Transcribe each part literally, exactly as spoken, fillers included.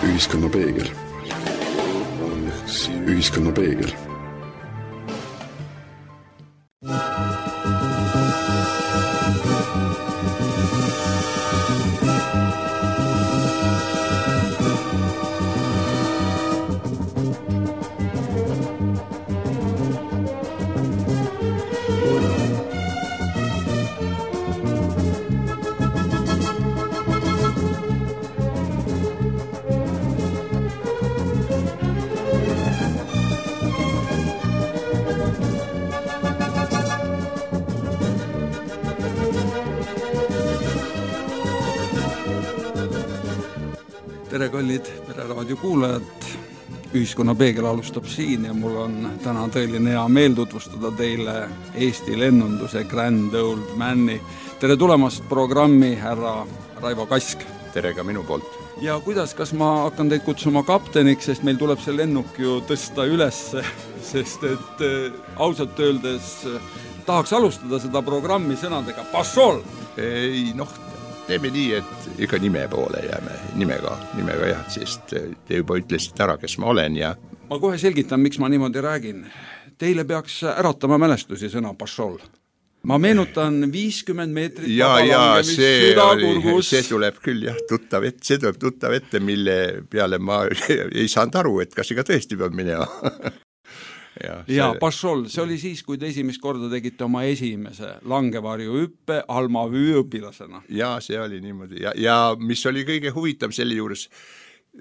Ühiskonna peegel. Ühiskonna peegel. Tere kallid Pereraadio kuulajad, Ühiskonna peegel alustab siin ja mul on täna tõeline hea meel tutvustada teile Eesti lennunduse Grand Old Mani. Tere tulemast programmi härra Raivo Kask. Tere ka minu poolt. Ja kuidas, kas ma hakkan teid kutsuma kapteniks, sest meil tuleb see lennuk ju tõsta üles, sest et äh, ausalt öeldes äh, tahaks alustada seda programmi sõnadega Pašol! Ei, noh, teeme nii, et ikka nime poole jääme, nimega, nimega jah, sest te juba ütlesite ära, kes ma olen ja... Ma kohe selgitan, miks ma niimoodi räägin. Teile peaks äratama mälestusi sõna Pašol. Ma meenutan viiskümmend meetrit ja, ja see, oli, see tuleb küll jah, tuttav ette, see tuleb tuttav ette, mille peale ma ei saanud aru, et kas ikka tõesti peab minema. Ja, ja see... Pašol, see oli siis, kui te esimest korda tegite oma esimese langevarju hüppe Almavüü õpilasena. Ja see oli niimoodi. Ja, ja mis oli kõige huvitav selle juures,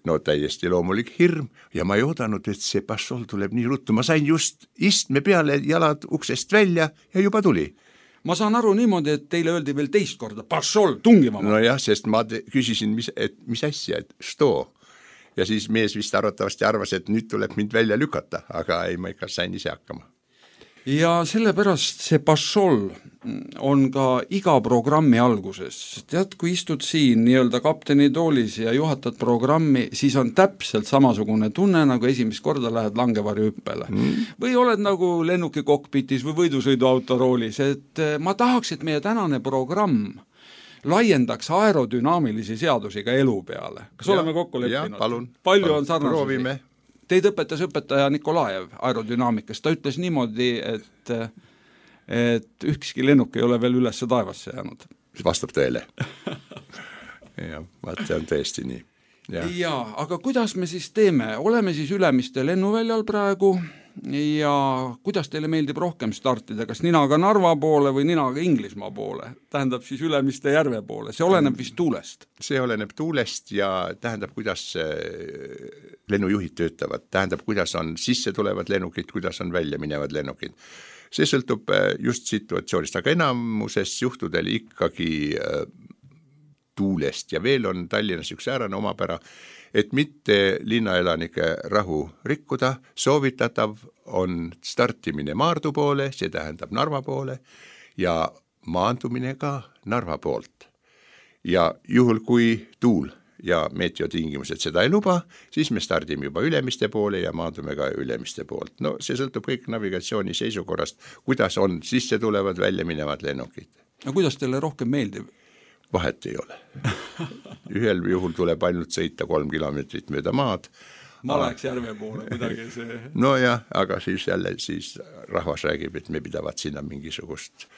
no täiesti loomulik hirm ja ma ei oodanud, et see Pašol tuleb nii ruttu. Ma sain just istme peale jalad uksest välja ja juba tuli. Ma saan aru niimoodi, et teile öeldi veel teist korda Pašol tungima. No jah, sest ma te- küsisin, mis, et, mis asja, et što? Ja siis mees vist arvatavasti arvas, et nüüd tuleb mind välja lükata, aga ei, ma ikka sain ise hakkama. Ja sellepärast see Pašol on ka iga programmi alguses. Tead, kui istud siin nii-öelda kapteni toolis ja juhatad programmi, siis on täpselt samasugune tunne, nagu esimest korda lähed langevarju hüppele. Mm. Või oled nagu lennuki kokpitis või võidusõiduauto roolis, et ma tahaks, et meie tänane programm laiendaks aerodünaamilisi seadusi ka elu peale. Kas ja, oleme kokku leppinud? Ja, palun. Palju palun, on sarnasusi? Teid õpetas õpetaja Nikolajev aerodünaamikas. Ta ütles niimoodi, et, et ükski lennuk ei ole veel üles taevasse jäänud. Vastab tõele. Ja, vaat see on tõesti nii. Ja. ja, aga kuidas me siis teeme? Oleme siis Ülemiste lennuväljal praegu ja kuidas teile meeldib rohkem startida? Kas ninaga Narva poole või ninaga Inglismaa poole? Tähendab siis Ülemiste järve poole. See oleneb vist tuulest. See oleneb tuulest ja tähendab, kuidas lennujuhid töötavad. Tähendab, kuidas on sisse tulevad lennukid, kuidas on välja minevad lennukid. See sõltub just situatsioonist, aga enamuses juhtudel ikkagi tuulest ja veel on Tallinnas üks äärane omapära, et mitte linnaelanike rahu rikkuda, soovitatav on startimine Maardu poole, see tähendab Narva poole ja maandumine ka Narva poolt. Ja juhul kui tuul ja meteotingimused seda ei luba, siis me stardime juba Ülemiste poole ja maandume ka Ülemiste poolt. No see sõltub kõik navigatsiooni seisukorrast, kuidas on sisse tulevad välja minevad lennukid. No kuidas teile rohkem meeldib? Vahet ei ole. Ühel juhul tuleb ainult sõita kolm kilomeetrit mööda maad. Ma läheks järve poole midagi see... No jah, aga siis jälle siis rahvas räägib, et me pidavad sinna mingisugust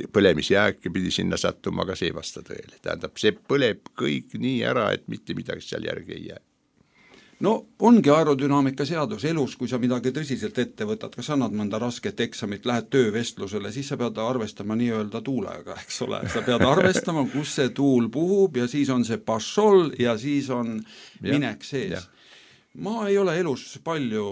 põlemisjääke pidi sinna sattuma, aga see ei vasta tõele. Tähendab, see põleb kõik nii ära, et mitte midagi seal järgi ei jää. No ongi aerodünaamika seadus elus, kui sa midagi tõsiselt ette võtad, kas annad mõnda rasket eksamit, lähed töövestlusele, siis sa pead arvestama nii-öelda tuulega, eks ole. Sa pead arvestama, kus see tuul puhub ja siis on see Pašol ja siis on minek sees. Ja. Ma ei ole elus palju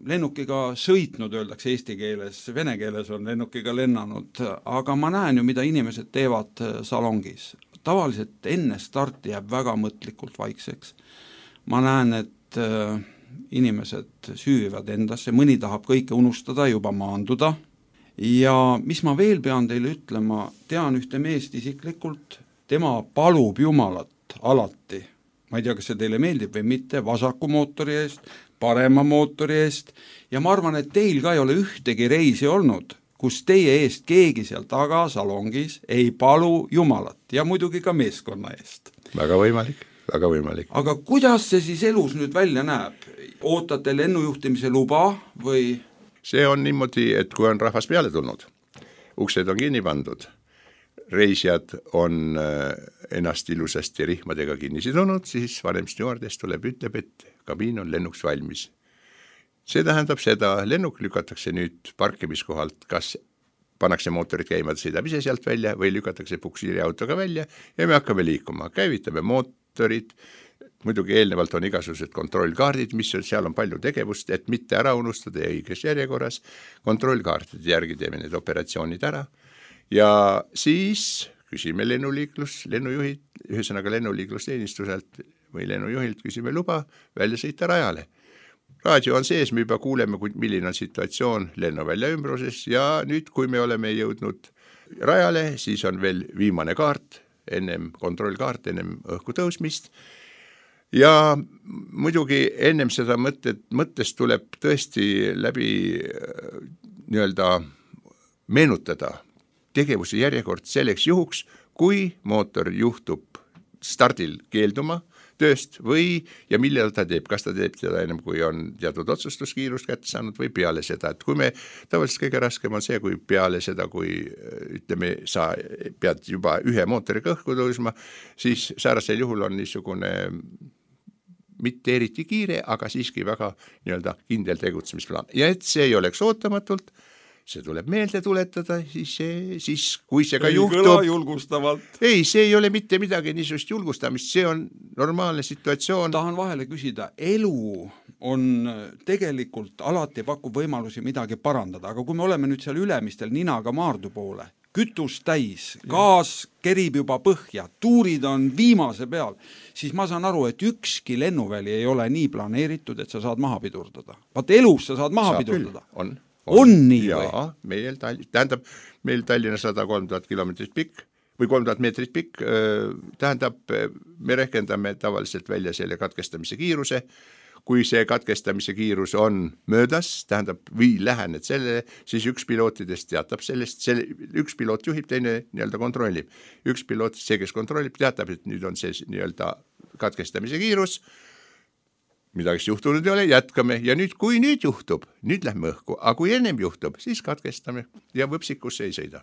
lennukiga sõitnud, öeldakse eesti keeles, vene keeles on lennukiga lennanud, aga ma näen ju, mida inimesed teevad salongis. Tavaliselt enne starti jääb väga mõtlikult vaikseks. Ma näen, et äh, inimesed süüvivad endasse, mõni tahab kõike unustada, juba maanduda. Ja mis ma veel pean teile ütlema, tean ühte meest isiklikult, tema palub Jumalat alati. Ma ei tea, kas see teile meeldib või mitte, vasaku mootori eest, parema mootori eest. Ja ma arvan, et teil ka ei ole ühtegi reisi olnud, kus teie eest keegi seal taga salongis ei palu Jumalat ja muidugi ka meeskonna eest. Väga võimalik. väga võimalik. aga kuidas see siis elus nüüd välja näeb? Ootate lennujuhtimise luba või? See on niimoodi, et kui on rahvas peale tulnud, uksed on kinni pandud, reisijad on ennast ilusasti rihmadega kinni sidunud, siis vanem stjuardess tuleb, ütleb, et kabiin on lennuks valmis. See tähendab seda, lennuk lükatakse nüüd parkimiskohalt, kas pannakse mootorid käima, sõidab ise sealt välja või lükatakse puksiiriautoga välja ja me hakkame liikuma, käivitame mootorid, muidugi eelnevalt on igasugused kontrollkaardid, mis on, seal on palju tegevust, et mitte ära unustada ja õiges järjekorras, kontrollkaardide järgi teeme need operatsioonid ära ja siis küsime lennuliiklus, lennujuhid, ühesõnaga lennuliiklusteenistuselt või lennujuhilt küsime luba välja sõita rajale. Raadio on sees, me juba kuuleme, milline on situatsioon lennuvälja ümbruses ja nüüd, kui me oleme jõudnud rajale, siis on veel viimane kaart, ennem kontrollkaart, ennem õhku tõusmist ja muidugi ennem seda mõtet, mõttest tuleb tõesti läbi nii-öelda meenutada tegevuse järjekord selleks juhuks, kui mootor juhtub stardil keelduma tööst või ja millal ta teeb, kas ta teeb seda ennem, kui on teatud otsustuskiirust kätte saanud või peale seda, et kui me, tavaliselt kõige raskem on see, kui peale seda, kui ütleme, sa pead juba ühe mootoriga õhku tõusma, siis säärasel juhul on niisugune mitte eriti kiire, aga siiski väga nii-öelda kindel tegutsemisplaan. Ja et see ei oleks ootamatult, see tuleb meelde tuletada, siis, see, siis kui see ka ei juhtub, julgustavalt. ei, see ei ole mitte midagi niisugust julgustamist, see on normaalne situatsioon. Tahan vahele küsida, elu on tegelikult alati pakub võimalusi midagi parandada, aga kui me oleme nüüd seal ülemistel ninaga maardu poole, kütus täis, gaas kerib juba põhja, tuurid on viimase peal, siis ma saan aru, et ükski lennuväli ei ole nii planeeritud, et sa saad maha pidurdada. Vaat elus sa saad maha saab pidurdada. Küll, on. On, on nii ja, või? Meil, tähendab, meil Tallinna sada kolm tuhat kilomeetrit pikk või kolm tuhat meetrit pikk, tähendab, me rehkendame tavaliselt välja selle katkestamise kiiruse, kui see katkestamise kiirus on möödas, tähendab, või lähened sellele, siis üks pilootidest teatab sellest, selle, üks piloot juhib, teine nii-öelda kontrollib. Üks piloot, see, kes kontrollib, teatab, et nüüd on see nii-öelda katkestamise kiirus, midagi juhtunud ei ole, jätkame ja nüüd, kui nüüd juhtub, nüüd lähme õhku, aga kui ennem juhtub, siis katkestame ja võpsikusse ei sõida.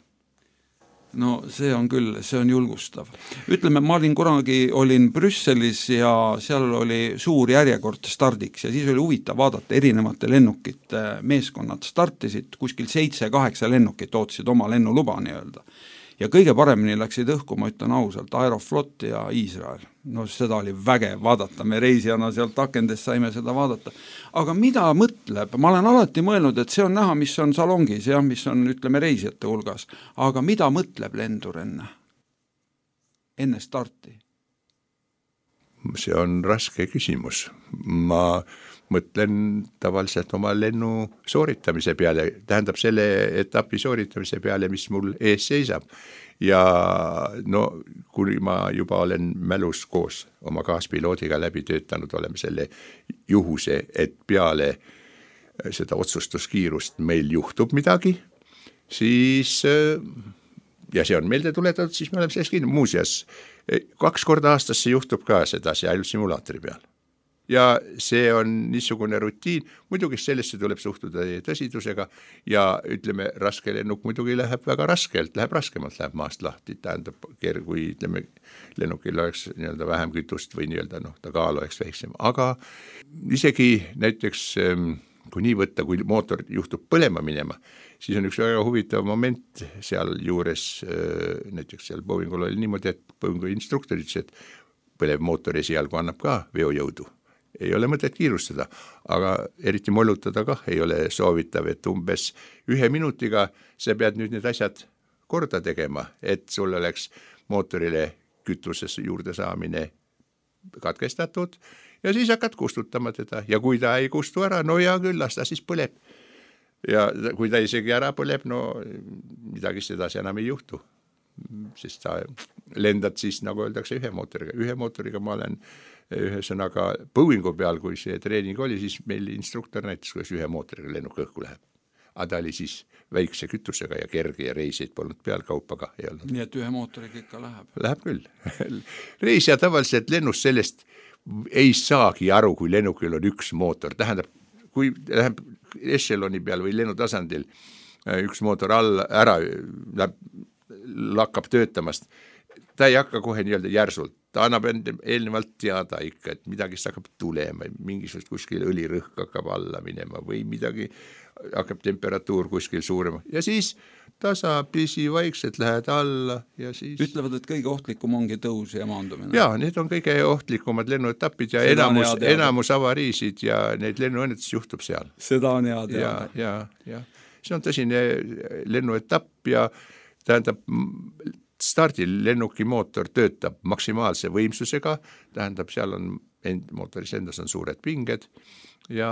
No see on küll, see on julgustav. Ütleme, ma olin kunagi, olin Brüsselis ja seal oli suur järjekord stardiks ja siis oli huvitav vaadata erinevate lennukite meeskonnad startisid, kuskil seitse, kaheksa lennukit ootasid oma lennuluba nii-öelda. Ja kõige paremini läksid õhku, ma ütlen ausalt, Aeroflot ja Iisrael. No seda oli vägev vaadata, me reisijana sealt akendest saime seda vaadata. Aga mida mõtleb? Ma olen alati mõelnud, et see on näha, mis on salongis ja mis on, ütleme, reisijate hulgas. Aga mida mõtleb lendur enne? Enne starti? See on raske küsimus. Ma mõtlen tavaliselt oma lennu sooritamise peale, tähendab selle etapi sooritamise peale, mis mul ees seisab. Ja no, kui ma juba olen mälus koos oma kaaspiloodiga läbi töötanud, oleme selle juhuse, et peale seda otsustuskiirust meil juhtub midagi, siis, ja see on meelde tuletatud, siis me oleme selles kinni. Muuseas, kaks korda aastas see juhtub ka seda, see ainult simulaatori peal. Ja see on niisugune rutiin, muidugi sellesse tuleb suhtuda tõsidusega ja ütleme, raske lennuk muidugi läheb väga raskelt, läheb raskemalt, läheb maast lahti, tähendab, kui ütleme, lennukil oleks nii-öelda vähem kütust või nii-öelda, noh, ta kaal oleks väiksem, aga isegi näiteks, kui nii võtta, kui mootor juhtub põlema minema, siis on üks väga huvitav moment seal juures, näiteks seal Boeingul oli niimoodi, et Boeingu instruktor ütles, et põlev mootor esialgu annab ka veojõudu. Ei ole mõtet kiirustada, aga eriti mollutada kah ei ole soovitav, et umbes ühe minutiga sa pead nüüd need asjad korda tegema, et sul oleks mootorile kütuses juurde saamine katkestatud ja siis hakkad kustutama teda ja kui ta ei kustu ära, no ja küll, las ta siis põleb. Ja kui ta isegi ära põleb, no midagi sedasi enam ei juhtu, sest sa lendad siis, nagu öeldakse, ühe mootoriga. Ühe mootoriga ma olen ühesõnaga Boeingu peal, kui see treening oli, siis meil instruktor näitas, kuidas ühe mootoriga lennuk õhku läheb. aga ta oli siis väikse kütusega ja kerge ja reisid polnud peal, kaupaga ei olnud. Nii et ühe mootoriga ikka läheb? Läheb küll. Reisija tavaliselt lennus sellest ei saagi aru, kui lennukil on üks mootor. Tähendab, kui läheb echeloni peal või lennutasandil üks mootor all ära läheb, lakkab töötamast, ta ei hakka kohe nii-öelda järsult, ta annab eelnevalt teada ikka, et midagi hakkab tulema, mingisugust kuskil õlirõhk hakkab alla minema või midagi hakkab temperatuur kuskil suurema ja siis tasapisi vaikselt lähed alla ja siis... Ütlevad, et kõige ohtlikum ongi tõus ja maandumine. Jaa, need on kõige ohtlikumad lennuetapid ja Seda enamus, enamus avariisid ja neid lennuõnnetusi juhtub seal. Seda on hea teada. Ja, ja, ja. See on tõsine lennuetapp ja tähendab, stardil lennuki mootor töötab maksimaalse võimsusega, tähendab, seal on end, mootoris endas on suured pinged ja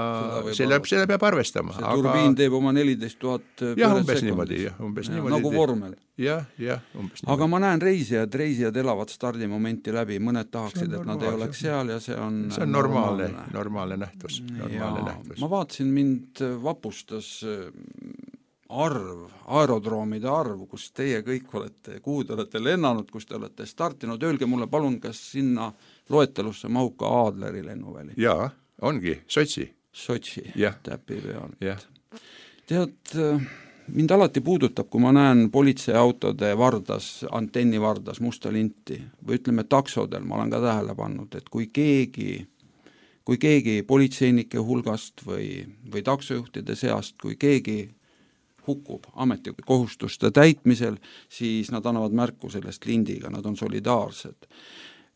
selle, selle peab arvestama. See aga... turbiin teeb oma neliteist tuhat jah, umbes niimoodi, jah, umbes ja, niimoodi. Nagu vormel. Jah, jah, umbes niimoodi. Aga ma näen reisijad, reisijad elavad stardimomenti läbi, mõned tahaksid, et nad ei oleks seal ja see on see on normaalne, normaalne, normaalne nähtus. Normaalne nähtus. Ma vaatasin, mind vapustas arv, aerodroomide arv, kus teie kõik olete, kuhu te olete lennanud, kus te olete startinud, öelge mulle palun, kas sinna loetelusse mahub ka Adleri lennuväli? Jaa, ongi, Sotši. Sotši, täpi peal. Ja. Tead, mind alati puudutab, kui ma näen politseiautode vardas, antenni vardas musta linti või ütleme taksodel, ma olen ka tähele pannud, et kui keegi, kui keegi politseinike hulgast või, või taksojuhtide seast, kui keegi hukkub ametikohustuste täitmisel, siis nad annavad märku sellest lindiga, nad on solidaarsed.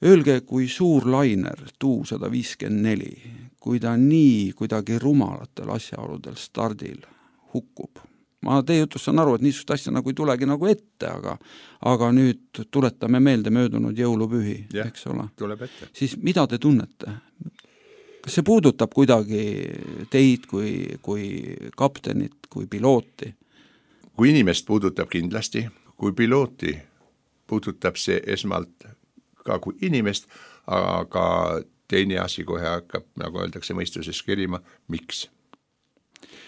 Öelge, kui suur lainer tuu sada viiskümmend neli, kui ta nii kuidagi rumalatel asjaoludel stardil hukkub. Ma teie jutust saan aru, et niisugust asja nagu ei tulegi nagu ette, aga, aga nüüd tuletame meelde möödunud jõulupühi, ja, eks ole. Tuleb ette. Siis mida te tunnete? Kas see puudutab kuidagi teid kui, kui kaptenit, kui pilooti? Kui inimest puudutab kindlasti, kui pilooti puudutab see esmalt ka kui inimest, aga teine asi kohe hakkab, nagu öeldakse, mõistuses kerima, miks?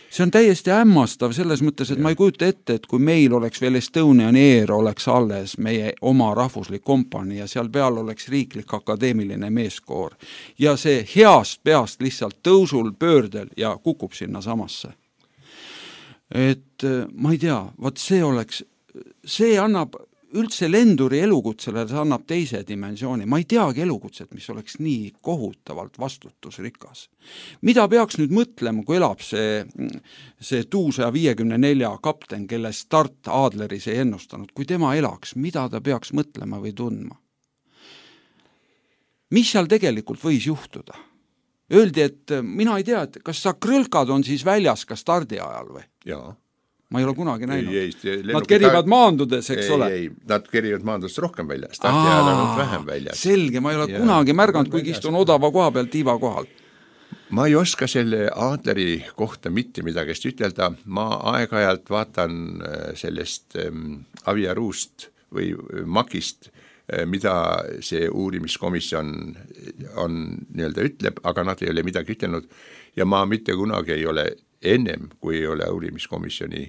See on täiesti hämmastav selles mõttes, et ja. Ma ei kujuta ette, et kui meil oleks veel Estonian Air oleks alles meie oma rahvuslik kompanii ja seal peal oleks riiklik akadeemiline meeskoor ja see heast peast lihtsalt tõusul pöördel ja kukub sinna samasse. Et ma ei tea, vaat see oleks, see annab üldse lenduri elukutsele, see annab teise dimensiooni. Ma ei teagi elukutset, mis oleks nii kohutavalt vastutusrikas. Mida peaks nüüd mõtlema, kui elab see, see tuu sada viiekümne nelja kapten, kelle start Adleris ei ennustanud, kui tema elaks, mida ta peaks mõtlema või tundma? Mis seal tegelikult võis juhtuda? Öeldi, et mina ei tea, et kas sa krõlkad on siis väljas ka stardi ajal või? Jaa. Ma ei ole kunagi näinud. Ei, ei, nad kerivad maandudes, eks ei, ole? Ei, nad kerivad maandudes rohkem väljas. Stardi ajal on vähem väljas. Selge, ma ei ole ja, kunagi märganud, kui istun odava koha peal tiiva kohal. Ma ei oska selle Adleri kohta mitte midagi ütelda. Ma aeg-ajalt vaatan sellest ähm, aviaruust või makist, mida see uurimiskomisjon on nii-öelda ütleb, aga nad ei ole midagi ütelnud ja ma mitte kunagi ei ole ennem, kui ei ole uurimiskomisjoni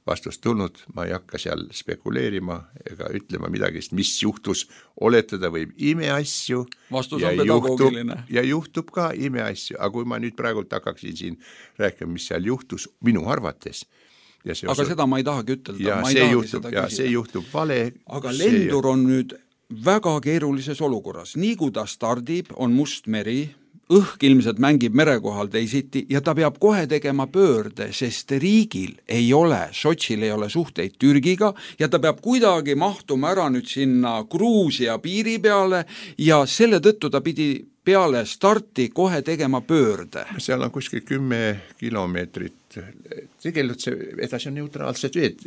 vastust tulnud, ma ei hakka seal spekuleerima ega ütlema midagi, mis juhtus, oletada võib imeasju. Vastus on pedagoogiline. Ja juhtub ka imeasju, aga kui ma nüüd praegult hakkaksin siin rääkima, mis seal juhtus minu arvates. Ja aga osa... seda ma ei tahagi ütelda. Ja, ma see, ei juhtub, ja see juhtub vale. Aga lendur on nüüd väga keerulises olukorras. Nii kui ta stardib, on must meri, õhk ilmselt mängib merekohal teisiti ja ta peab kohe tegema pöörde, sest riigil ei ole, Sotšil ei ole suhteid Türgiga ja ta peab kuidagi mahtuma ära nüüd sinna Gruusia piiri peale ja selle tõttu ta pidi peale starti kohe tegema pöörde. Seal on kuskil kümme kilomeetrit. Tegelikult see edasi on neutraalsed veed.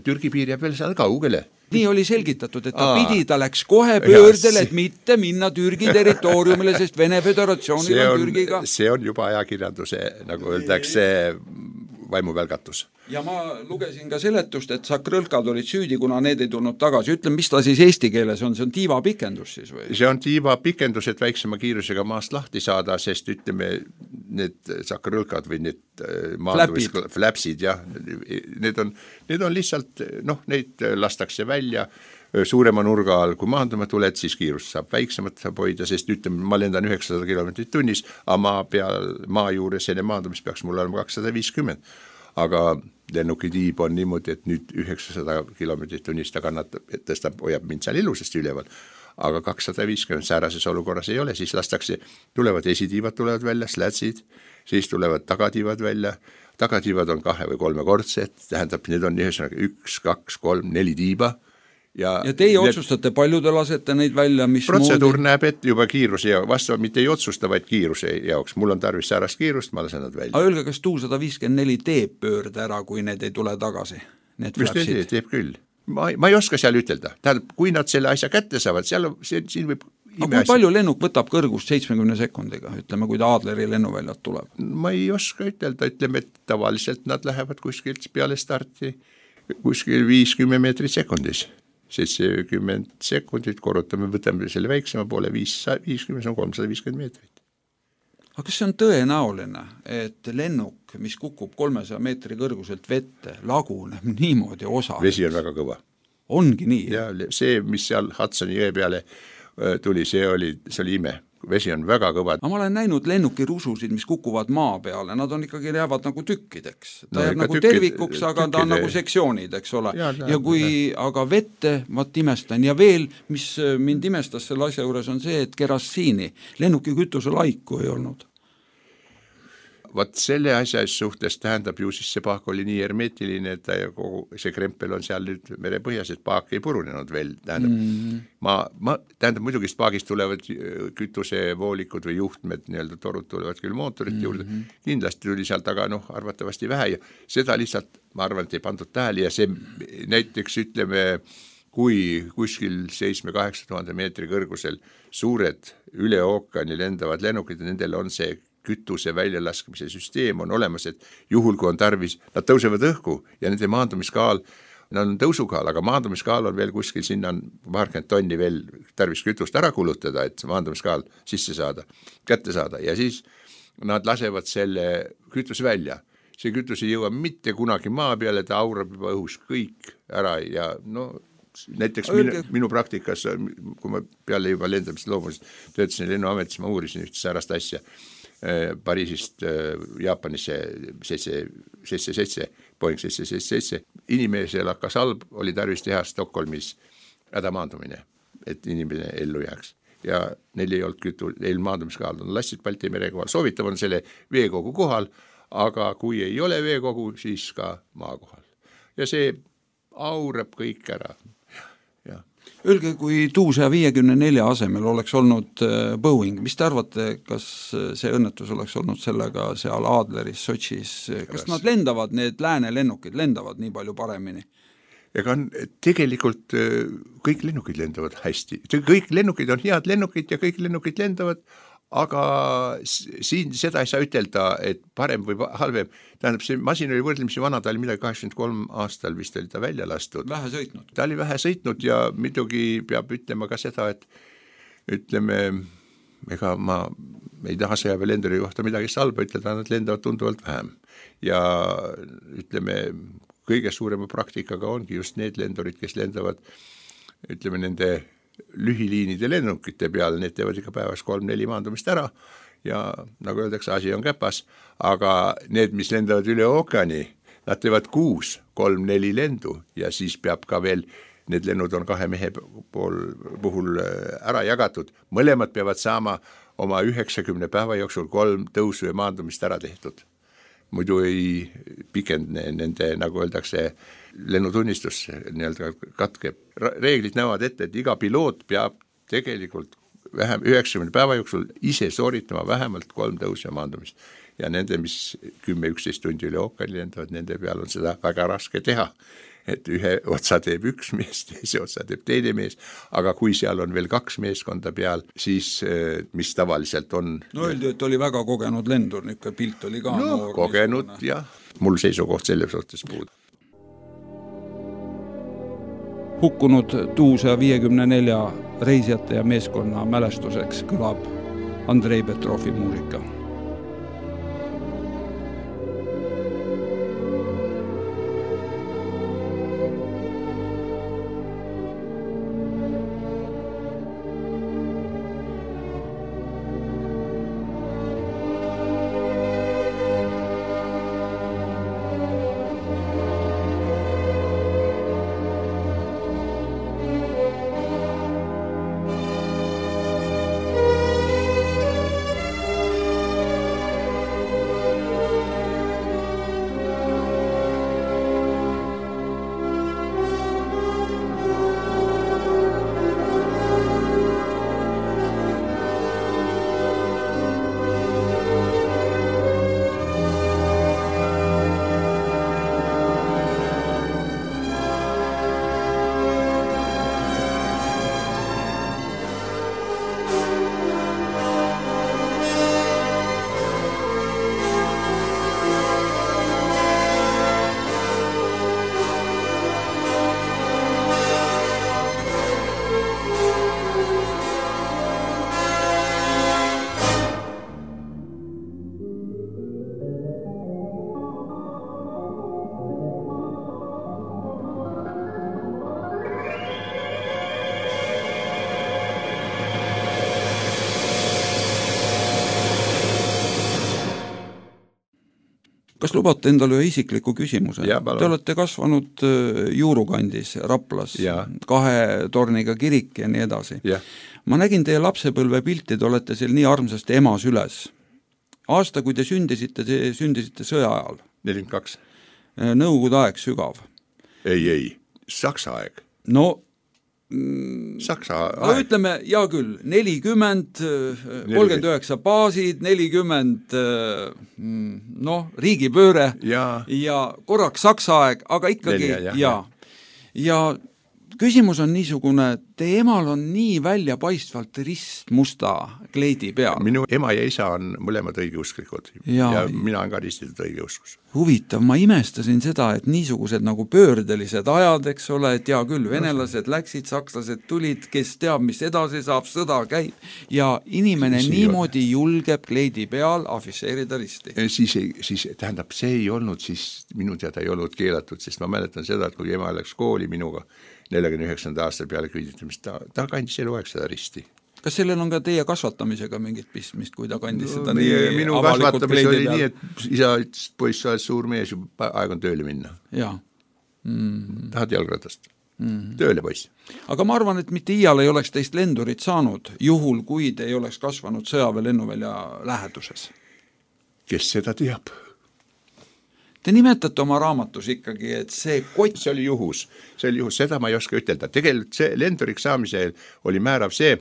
Türgi piir jääb veel seal kaugele. Nii oli selgitatud, et ta Aa. pidi, ta läks kohe pöördele, et mitte minna Türgi territooriumile, sest Vene Föderatsioonil on, on Türgiga. See on juba ajakirjanduse, nagu öeldakse, vaimuvälgatus. Ja ma lugesin ka seletust, et sakrõlkad olid süüdi, kuna need ei tulnud tagasi. Ütlen, mis ta siis eesti keeles on? See on tiiva pikendus siis või? See on tiiva pikendus, et väiksema kiirusega maast lahti saada, sest ütleme, need sakarõlkad või need maandumis, flapsid, jah, need on, need on lihtsalt, noh, neid lastakse välja suurema nurga all, kui maanduma tuled, siis kiirust saab väiksemat saab hoida, sest ütleme, ma lendan üheksasada kilomeetrit tunnis, aga maa peal, maa juures enne maandumist peaks mul olema kakssada viiskümmend. Aga lennuki tiib on niimoodi, et nüüd üheksasada kilomeetrit tunnis ta kannatab, et tõstab, hoiab mind seal ilusasti üleval. Aga kakssada viiskümmend säärases olukorras ei ole, siis lastakse, tulevad esitiivad tulevad välja, slätsid, siis tulevad tagatiivad välja, tagatiivad on kahe või kolmekordsed, tähendab, need on ühesõnaga üks, kaks, kolm, neli tiiba. Ja, ja teie need, otsustate, palju te lasete neid välja, mis protseduur moodi? Näeb ette juba kiiruse ja vastavalt mitte ei otsusta, vaid kiiruse jaoks. Mul on tarvis säärast kiirust, ma lasen nad välja. Aga öelge, kas T U sada viiskümmend neli teeb pöörde ära, kui need ei tule tagasi? Need mis teeb, teeb küll. Ma, ma ei oska seal ütelda. Tähendab, kui nad selle asja kätte saavad, seal see, siin võib aga kui palju lennuk võtab kõrgust seitsmekümne sekundiga, ütleme, kui ta Adleri lennuväljalt tuleb? Ma ei oska ütelda, ütleme, et tavaliselt nad lähevad kuskilt peale starti kuskil viiskümmend meetrit sekundis. seitsekümmend sekundit korrutame, võtame selle väiksema poole, viiskümmend, see on kolmsada viiskümmend meetrit. Aga kas see on tõenäoline, et lennuk, mis kukub kolmesaja meetri kõrguselt vette, laguneb niimoodi osa? Vesi on väga kõva. Ongi nii? Ja see, mis seal Hudsoni jõe peale tuli, see oli, see oli ime. Vesi on väga kõva. Ma olen näinud lennuki rususid, mis kukuvad maa peale, nad on ikkagi jäävad nagu tükkideks. Ta no, jääb nagu tükkid, tervikuks, aga tükkide. Ta on nagu sektsioonid, eks ole. Ja, ja kui ja. Aga vette, vaat imestan. Ja veel, mis mind imestas selle asja juures on see, et kerasiini, lennuki kütuse laiku ei olnud. Vaat selle asja suhtes tähendab ju siis see paak oli nii hermetiline, et ta kogu see krempel on seal nüüd merepõhjas, et paak ei purunenud veel. Tähendab, mm. ma, ma, tähendab muidugi paagist tulevad kütusevoolikud või juhtmed, nii-öelda torud tulevad küll mootorit mm. juurde. Kindlasti tuli sealt aga noh, arvatavasti vähe ja seda lihtsalt, ma arvan, et ei pandud tähele ja see näiteks ütleme, kui kuskil seitsme-kaheksa tuhande meetri kõrgusel suured üle ookeani lendavad lennukid ja nendel on see kütuse väljalaskmise süsteem on olemas, et juhul kui on tarvis, nad tõusevad õhku ja nende maandumiskaal, nad on tõusukaal, aga maandumiskaal on veel kuskil, sinna on paarkümmend tonni veel tarvis kütust ära kulutada, et maandumiskaal sisse saada, kätte saada ja siis nad lasevad selle kütuse välja. See kütus ei jõua mitte kunagi maa peale, ta aurab juba õhus kõik ära ja no näiteks minu, minu praktikas, kui ma peale juba lendamist loomuliselt töötasin lennuametis, ma uurisin üht säärast asja Pariisist Jaapanisse seitse seitse seitse, Boeing seitse seitse seitse. Inimesel hakkas halb, oli tarvis teha Stockholmis hädamaandumine, et inimene ellu jääks. Ja neil ei olnud kütu, neil maandumiskaal on lassid Balti mere kohal. Soovitav on selle veekogu kohal, aga kui ei ole veekogu, siis ka maa kohal. Ja see aurab kõik ära. Öelge, kui T U sada viiekümne nelja asemel oleks olnud Boeing, mis te arvate, kas see õnnetus oleks olnud sellega seal Adleris, Sotšis, kas nad lendavad, need lääne lennukid lendavad nii palju paremini? Ega on, tegelikult kõik lennukid lendavad hästi. Kõik lennukid on head lennukid ja kõik lennukid lendavad, aga siin seda ei saa ütelda, et parem või halvem. Tähendab, see masin oli võrdlemisi vana, ta oli midagi kaheksakümmend kolm aastal vist oli ta välja lastud. Vähe sõitnud. Ta oli vähe sõitnud ja muidugi peab ütlema ka seda, et ütleme, ega ma ei taha sõjaväelenduri kohta midagi halba ütelda, nad lendavad tunduvalt vähem. Ja ütleme, kõige suurema praktikaga ongi just need lendurid, kes lendavad, ütleme, nende lühiliinide lennukite peal, need teevad ikka päevas kolm-neli maandumist ära ja nagu öeldakse, asi on käpas, aga need, mis lendavad üle ookeani, nad teevad kuus, kolm-neli lendu ja siis peab ka veel, need lennud on kahe mehe pool puhul ära jagatud, mõlemad peavad saama oma üheksakümne päeva jooksul kolm tõusu ja maandumist ära tehtud. Muidu ei pikendne nende, nagu öeldakse, lennutunnistus nii-öelda katkeb. Reeglid näevad ette, et iga piloot peab tegelikult vähem üheksakümne päeva jooksul ise sooritama vähemalt kolm tõusu ja maandumist. Ja nende, mis kümme üksteist tundi üle ookeani lendavad, nende peal on seda väga raske teha. Et ühe otsa teeb üks mees, teise otsa teeb teine mees, aga kui seal on veel kaks meeskonda peal, siis mis tavaliselt on... No öeldi, et oli väga kogenud lendur, niisugune pilt oli ka... No, kogenud, jah. Mul seisukoht selle suhtes puud. Hukkunud T U sada viiekümne nelja reisijate ja meeskonna mälestuseks kõlab Andrei Petrovi muusika. kas lubate endale ühe isikliku küsimuse? Ja, Te olete kasvanud Juurukandis, Raplas, ja. kahe torniga kirik ja nii edasi. Ja. Ma nägin teie lapsepõlve pilti, te olete seal nii armsasti emas üles. Aasta, kui te sündisite, te sündisite sõja ajal. nelikümmend kaks. Nõukogude aeg sügav. Ei, ei, Saksa aeg. No, Saksa no aeg. ütleme, hea küll, nelikümmend, kolmkümmend üheksa baasid, nelikümmend, noh, riigipööre ja, ja korraks Saksa aeg, aga ikkagi, Nelja, jah, ja, ja küsimus on niisugune, teie emal on nii välja paistvalt rist musta kleidi peal. Minu ema ja isa on mõlemad õigeusklikud ja, ja mina olen ka ristitud õigeuskus. Huvitav, ma imestasin seda, et niisugused nagu pöördelised ajad, eks ole, et hea küll, venelased läksid, sakslased tulid, kes teab, mis edasi saab, sõda käib ja inimene see niimoodi julgeb kleidi peal afišeerida risti. Siis, siis tähendab, see ei olnud, siis minu teada ei olnud keelatud, sest ma mäletan seda, et kui ema läks kooli minuga neljakümne üheksanda aasta peale küüditamist, ta, ta kandis eluaeg seda risti. Kas sellel on ka teie kasvatamisega mingit pistmist, kui ta kandis no, seda nii minu kasvatamis oli peal? Nii, et isa ütles, poiss, sa oled suur mees, juba aeg on tööle minna. Jaa. Mm. Tahad jalgratast? Mm. Tööle, poiss. Aga ma arvan, et mitte iial ei oleks teist lendurit saanud, juhul kui te ei oleks kasvanud sõjaväe lennuvälja läheduses. Kes seda teab? Te nimetate oma raamatus ikkagi, et see kott... See oli juhus, see oli juhus, seda ma ei oska ütelda. Tegelikult see lenduriks saamisel oli määrav see,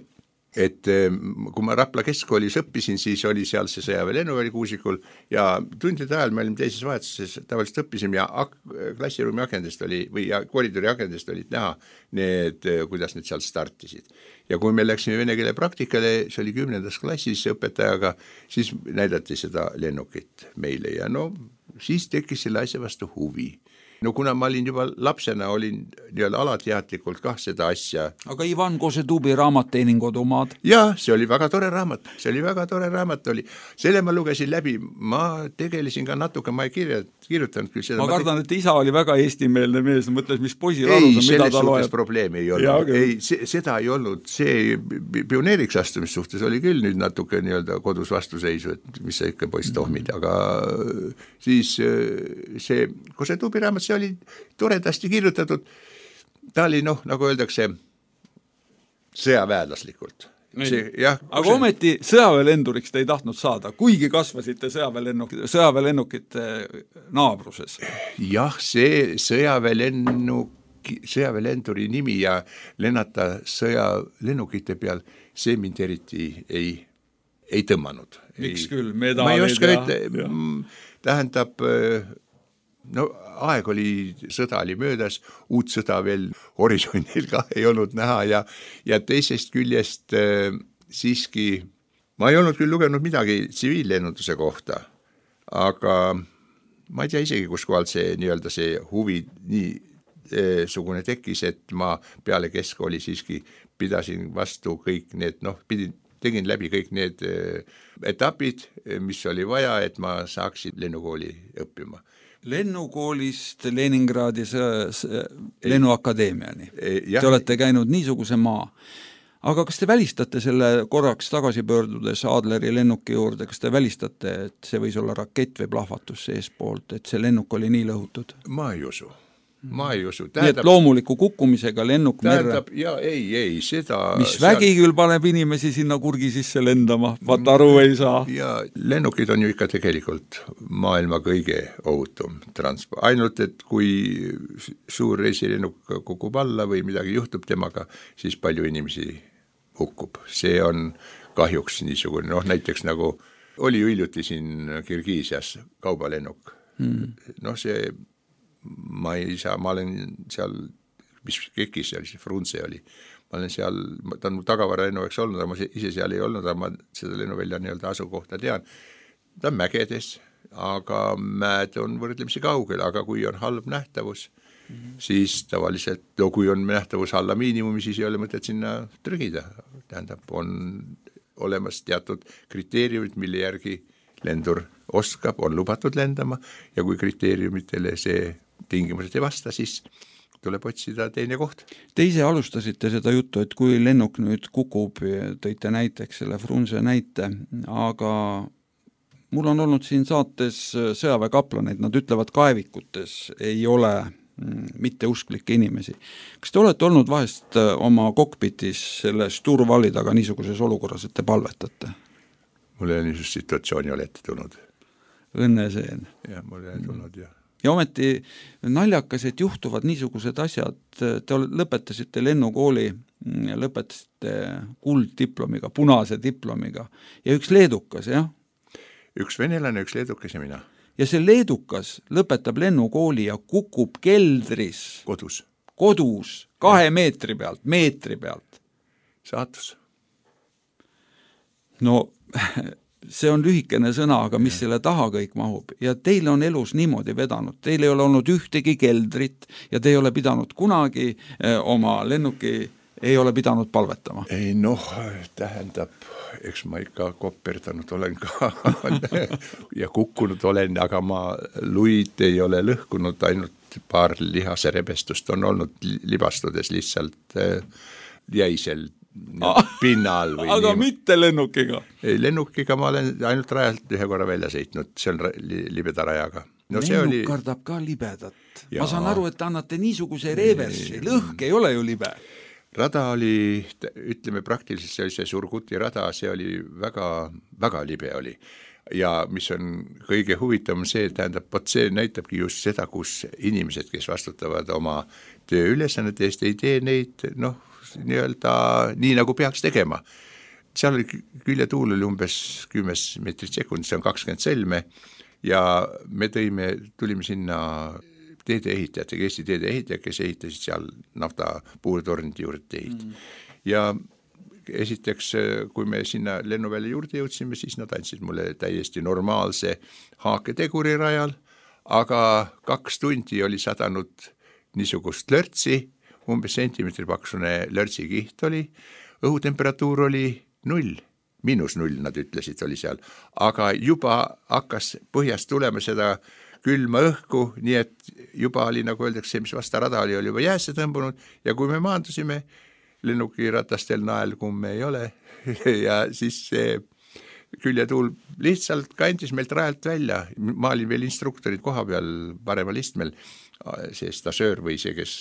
et kui ma Rapla keskkoolis õppisin, siis oli seal see sõjaväe lennuväli Kuusikul ja tundide ajal me olime teises vahetuses, tavaliselt õppisime ja ak- klassiruumi akendest oli, või ja koridori akendest olid näha need, kuidas need seal startisid. Ja kui me läksime vene keele praktikale, see oli kümnendas klassis õpetajaga, siis näidati seda lennukit meile ja no siis tekkis selle asja vastu huvi. No kuna ma olin juba lapsena, olin nii-öelda alateadlikult kah seda asja. Aga Ivan Kosetubi raamat Teenin kodumaad? Jaa, see oli väga tore raamat, see oli väga tore raamat oli. Selle ma lugesin läbi, ma tegelesin ka natuke, ma ei kirja, kirjutanud küll seda. Ma kardan, et isa oli väga eestimeelne mees, mõtles, mis poisil arus on, mida ta loeb. Ei, probleemi ei olnud. Ei, see, seda ei olnud, see pioneeriks astumis suhtes oli küll nüüd natuke nii-öelda kodus vastuseisu, et mis sa ikka poiss tohmid, aga siis see Kosetubi raamat, see oli toredasti kirjutatud, ta oli noh, nagu öeldakse, sõjaväelaslikult. See, jah, aga see... ometi sõjaväelenduriks te ei tahtnud saada, kuigi kasvasite sõjaväelennukite, sõjaväelennukite naabruses. Jah, see sõjaväelennuk, sõjaväelenduri nimi ja lennata sõjalennukite peal, see mind eriti ei, ei tõmmanud. Miks ei, küll, medalid ma ei oska ja... ütle, tähendab... No aeg oli, sõda oli möödas, uut sõda veel horisondil ka ei olnud näha ja, ja teisest küljest äh, siiski, ma ei olnud küll lugenud midagi tsiviillennunduse kohta, aga ma ei tea isegi, kus kohalt see nii-öelda see huvi nii äh, sugune tekkis, et ma peale keskkooli siiski pidasin vastu kõik need, noh, pidin, tegin läbi kõik need äh, etapid, mis oli vaja, et ma saaksin lennukooli õppima. Lennukoolist Leningradi lennuakadeemiani. Ja. Te olete käinud niisuguse maa. Aga kas te välistate selle korraks tagasi pöördudes Adleri lennuki juurde, kas te välistate, et see võis olla rakett või plahvatus seespoolt, et see lennuk oli nii lõhutud? Ma ei usu. Ma ei usu. Tähendab, nii et loomuliku kukkumisega lennuk merre. Ja ei, ei, seda... Mis vägi seal... küll paneb inimesi sinna kurgi sisse lendama, vaat aru ei saa. Ja lennukid on ju ikka tegelikult maailma kõige ohutum transport. Ainult, et kui suur reisilennuk kukub alla või midagi juhtub temaga, siis palju inimesi hukkub. See on kahjuks niisugune, noh näiteks nagu oli hiljuti siin Kirgiisias kaubalennuk. Hmm. Noh see... ma ei saa, ma olen seal, mis kekis seal, siis Frunze oli, ma olen seal, ta on tagavara lennuveks olnud, aga ma ise seal ei olnud, aga ma seda lennuvälja nii-öelda asukohta tean, ta on mägedes, aga mäed on võrdlemisi kaugel, aga kui on halb nähtavus, mm-hmm. siis tavaliselt, no kui on nähtavus alla miinimumi, siis ei ole mõtet sinna trügida, tähendab, on olemas teatud kriteeriumid, mille järgi lendur oskab, on lubatud lendama ja kui kriteeriumitele see tingimused ei vasta, siis tuleb otsida teine koht. Te ise alustasite seda juttu, et kui lennuk nüüd kukub, tõite näiteks selle Frunze näite, aga mul on olnud siin saates sõjaväekaplaneid, nad ütlevad, kaevikutes ei ole mitteusklikke inimesi. Kas te olete olnud vahest oma kokpitis selle Sturvali taga niisuguses olukorras, et te palvetate? Mul ei ole niisugust situatsiooni olete tulnud. Õnneseen. Jah, mul ei ole tulnud, jah. Ja ometi naljakas, et juhtuvad niisugused asjad, te lõpetasite lennukooli, lõpetasite kulddiplomiga, punase diplomiga ja üks leedukas, jah? Üks venelane, üks leedukas ja mina. Ja see leedukas lõpetab lennukooli ja kukub keldris. Kodus. Kodus, kahe ja. meetri pealt, meetri pealt. Saatus. No see on lühikene sõna, aga mis ja. selle taha kõik mahub. Ja teil on elus niimoodi vedanud. Teil ei ole olnud ühtegi keldrit ja te ei ole pidanud kunagi eh, oma lennuki ei ole pidanud palvetama. Ei noh, tähendab, eks ma ikka koperdanud olen ka ja kukkunud olen, aga ma luid ei ole lõhkunud, ainult paar lihase rebestust on olnud libastudes lihtsalt jäisel ah, pinnal. Või aga nii. Mitte lennukiga? Ei, lennukiga ma olen ainult rajalt ühe korra välja sõitnud, see on libeda rajaga. No, lennuk oli... kardab ka libedat. Ja. Ma saan aru, et annate niisuguse reversi, lõhk ei ole ju libe. Rada oli, ütleme praktiliselt see oli see Surguti rada, see oli väga, väga libe oli. Ja mis on kõige huvitavam see, tähendab, pot see näitabki just seda, kus inimesed, kes vastutavad oma tööülesannete eest, ei tee neid, noh, nii-öelda nii nagu peaks tegema. Seal oli küljetuul oli umbes kümnes meetrit sekund, see on kakskümmend selme ja me tõime, tulime sinna teedeehitajatega, Eesti teedeehitajad, kes ehitasid seal nafta puurtornide juurde teid. Mm. Ja esiteks, kui me sinna lennuvälja juurde jõudsime, siis nad andsid mulle täiesti normaalse haaketeguri rajal, aga kaks tundi oli sadanud niisugust lörtsi, umbes sentimeetri paksune lörtsikiht oli, õhutemperatuur oli null, miinus null, nad ütlesid, oli seal, aga juba hakkas põhjast tulema seda külma õhku, nii et juba oli, nagu öeldakse, mis vasta rada oli, oli juba jäässe tõmbunud ja kui me maandusime, lennuki ratastel naelkumme ei ole ja siis see küljetuul lihtsalt kandis meilt rajalt välja. Ma olin veel instruktorid koha peal paremal istmel, see stasöör või see, kes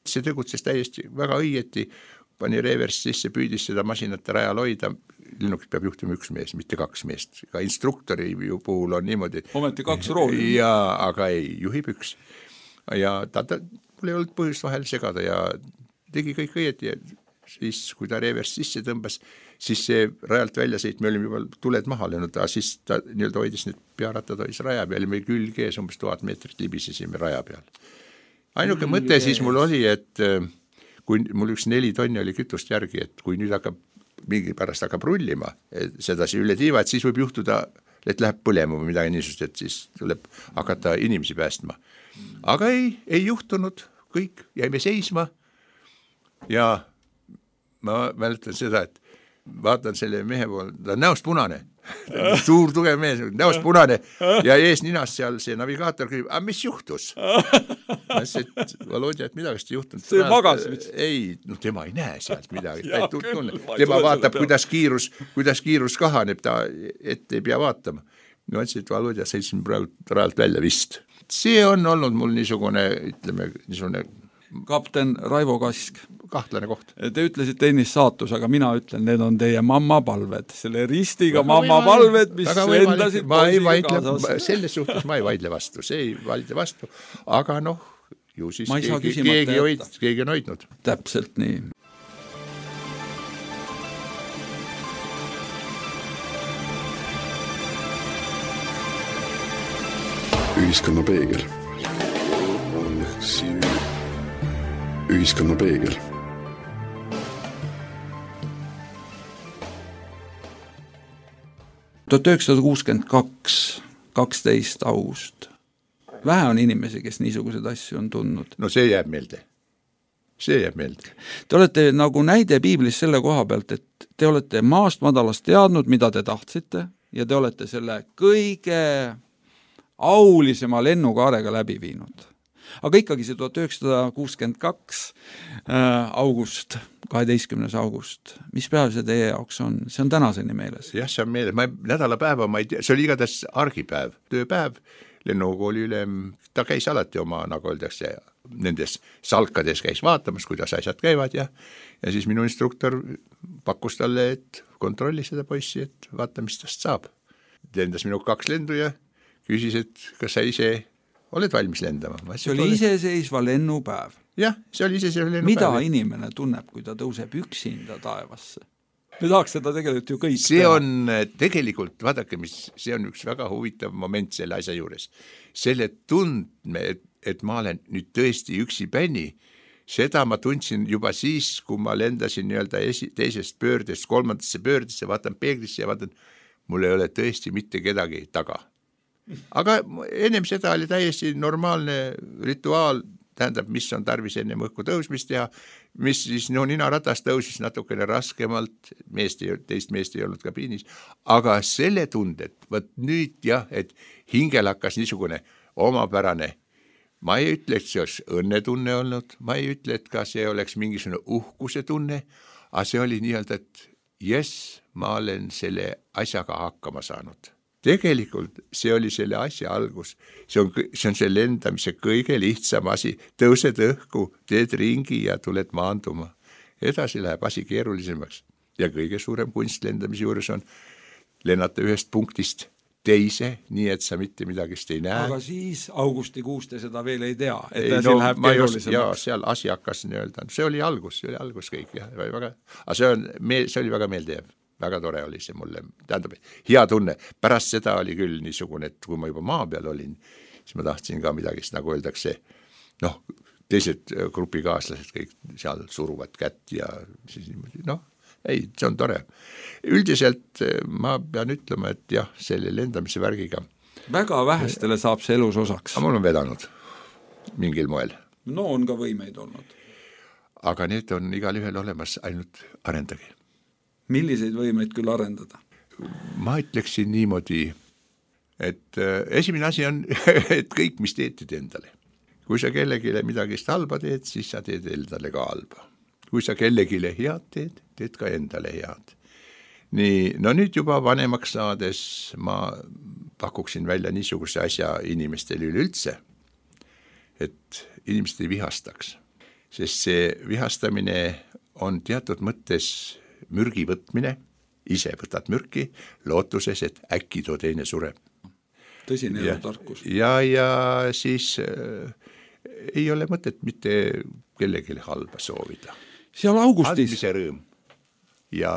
see tegutses täiesti väga õieti, pani reverss sisse, püüdis seda masinat rajal hoida, lennukit peab juhtima üks mees, mitte kaks meest. Ka instruktori puhul on niimoodi. Ometi kaks rooli. Ja, aga ei, juhib üks. Ja ta, ta mul ei olnud põhjust vahel segada ja tegi kõik õieti ja siis, kui ta reverss sisse tõmbas, siis see rajalt välja sõit, me olime juba tuled maha lennud, siis ta nii-öelda hoidis need pearattad hoidis raja peal ja me külgees umbes tuhat meetrit libisesime raja peal. Ainuke mm, mõte siis mul oli, et kui mul üks neli tonni oli kütust järgi, et kui nüüd hakkab, mingi pärast hakkab rullima, sedasi üle tiiva, et siis võib juhtuda, et läheb põlema või midagi niisust, et siis tuleb hakata inimesi päästma. Aga ei, ei juhtunud, kõik, jäime seisma ja ma mäletan seda, et vaatan selle mehe poole, ta on näost punane, suur tugev mees, näost punane ja ees ninas seal see navigaator küsib, aga mis juhtus? Ma ütlesin, et Volodja, et midagi ei juhtunud. See magas vist. Ei, no tema ei näe sealt midagi. Ta ei tunne. Tema vaatab, kuidas kiirus, kuidas kiirus kahaneb, ta ette ei pea vaatama. Ma ütlesin, et Volodja sõitsin praegu rajalt välja vist. See on olnud mul niisugune, ütleme, niisugune kapten Raivo Kask. Kahtlane koht. Te ütlesite ennist saatus, aga mina ütlen, need on teie mamma palved. Selle ristiga väga mamma palved, mis endasid ma ei vaidle, selles suhtes ma ei vaidle vastu, see ei vaidle vastu, aga noh, ju siis keegi, keegi, hoid, keegi on hoidnud. Täpselt nii. Ühiskonna peegel. Ühiskonna peegel. tuhat üheksasada kuuskümmend kaks, kaksteist august. Vähe on inimesi, kes niisugused asju on tundnud. No see jääb meelde. See jääb meelde. Te olete nagu näide piiblis selle koha pealt, et te olete maast madalast teadnud, mida te tahtsite ja te olete selle kõige aulisema lennukaarega läbi viinud. Aga ikkagi see tuhat üheksasada kuuskümmend kaks äh, august, kaheteistkümnes august, mis päev see teie jaoks on? See on tänaseni meeles. Jah, see on meeles, ma nädalapäeva, ma ei tea, see oli igatahes argipäev, tööpäev, lennukooli ülem, ta käis alati oma, nagu öeldakse, nendes salkades käis vaatamas, kuidas asjad käivad ja, ja siis minu instruktor pakkus talle, et kontrolli seda poissi, et vaata, mis tast saab. Lendas minu kaks lendu ja küsis, et kas sa ise oled valmis lendama. Ma see oli iseseisva lennupäev. Jah, see oli iseseisva lennupäev. Mida inimene tunneb, kui ta tõuseb üksinda taevasse? Me tahaks seda tegelikult ju kõik see teha. On tegelikult, vaadake, mis, see on üks väga huvitav moment selle asja juures. Selle tundme, et, et ma olen nüüd tõesti üksi bäni, seda ma tundsin juba siis, kui ma lendasin nii-öelda esi, teisest pöördest, kolmandasse pöördesse, vaatan peeglisse ja vaatan, mul ei ole tõesti mitte kedagi taga. Aga ennem seda oli täiesti normaalne rituaal, tähendab, mis on tarvis ennem õhku tõusmist teha, mis siis no ninaratas tõusis natukene raskemalt, meest ei, teist meest ei olnud kabiinis, aga selle tundet, võt nüüd jah, et hingel hakkas niisugune omapärane, ma ei ütle, et see oleks õnnetunne olnud, ma ei ütle, et ka see oleks mingisugune uhkuse tunne, aga see oli nii-öelda, et jess, ma olen selle asjaga hakkama saanud. Tegelikult see oli selle asja algus, see on, see on see lendamise kõige lihtsam asi, tõused õhku, teed ringi ja tuled maanduma. Edasi läheb asi keerulisemaks ja kõige suurem kunst lendamise juures on lennata ühest punktist teise, nii et sa mitte midagist ei näe. Aga siis augustikuus te seda veel ei tea, et ei, asi no, läheb keerulisemaks. Ja seal asi hakkas nii-öelda, see oli algus, see oli algus kõik, jah, väga, aga see, on, see oli väga meeldev. Väga tore oli see mulle, tähendab, hea tunne. Pärast seda oli küll niisugune, et kui ma juba maa peal olin, siis ma tahtsin ka midagist, nagu öeldakse, noh, teised grupikaaslased kõik seal suruvad kätt ja siis niimoodi, noh, ei, see on tore. Üldiselt ma pean ütlema, et jah, selle lendamise värgiga. Väga vähestele saab see elus osaks. Aga mul on vedanud mingil moel. No on ka võimeid olnud. Aga need on igal ühel olemas, ainult arendagi. Milliseid võimeid küll arendada? Ma ütleksin niimoodi, et esimene asi on, et kõik, mis teed, teed endale. Kui sa kellegile midagist halba teed, siis sa teed endale ka halba. Kui sa kellegile head teed, teed ka endale head. Nii, no nüüd juba vanemaks saades ma pakuksin välja niisuguse asja inimestele üleüldse, et inimesed ei vihastaks. Sest see vihastamine on teatud mõttes mürgi võtmine, ise võtad mürki, lootuses, et äkki too teine sureb. Tõsine ja tarkus. Ja, ja siis äh, ei ole mõtet mitte kellelegi halba soovida. Seal augustis. Andmise rõõm ja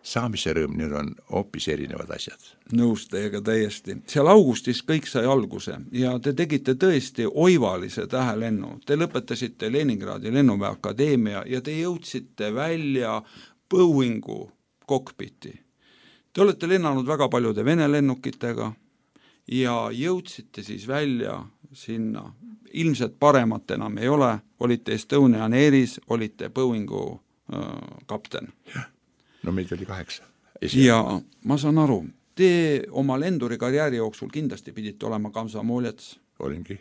saamise rõõm, need on hoopis erinevad asjad. Nõus teiega täiesti. Seal augustis kõik sai alguse ja te tegite tõesti oivalise tähelennu. Te lõpetasite Leningradi lennuväe akadeemia ja te jõudsite välja Boeingu kokpiti. Te olete lennanud väga paljude Vene lennukitega ja jõudsite siis välja sinna. Ilmselt paremat enam ei ole, olite Estonian Airis, olite Boeingu äh, kapten. No meid oli kaheksa. Ja ma saan aru, te oma lenduri karjääri jooksul kindlasti pidite olema Komsomolets. Olingi.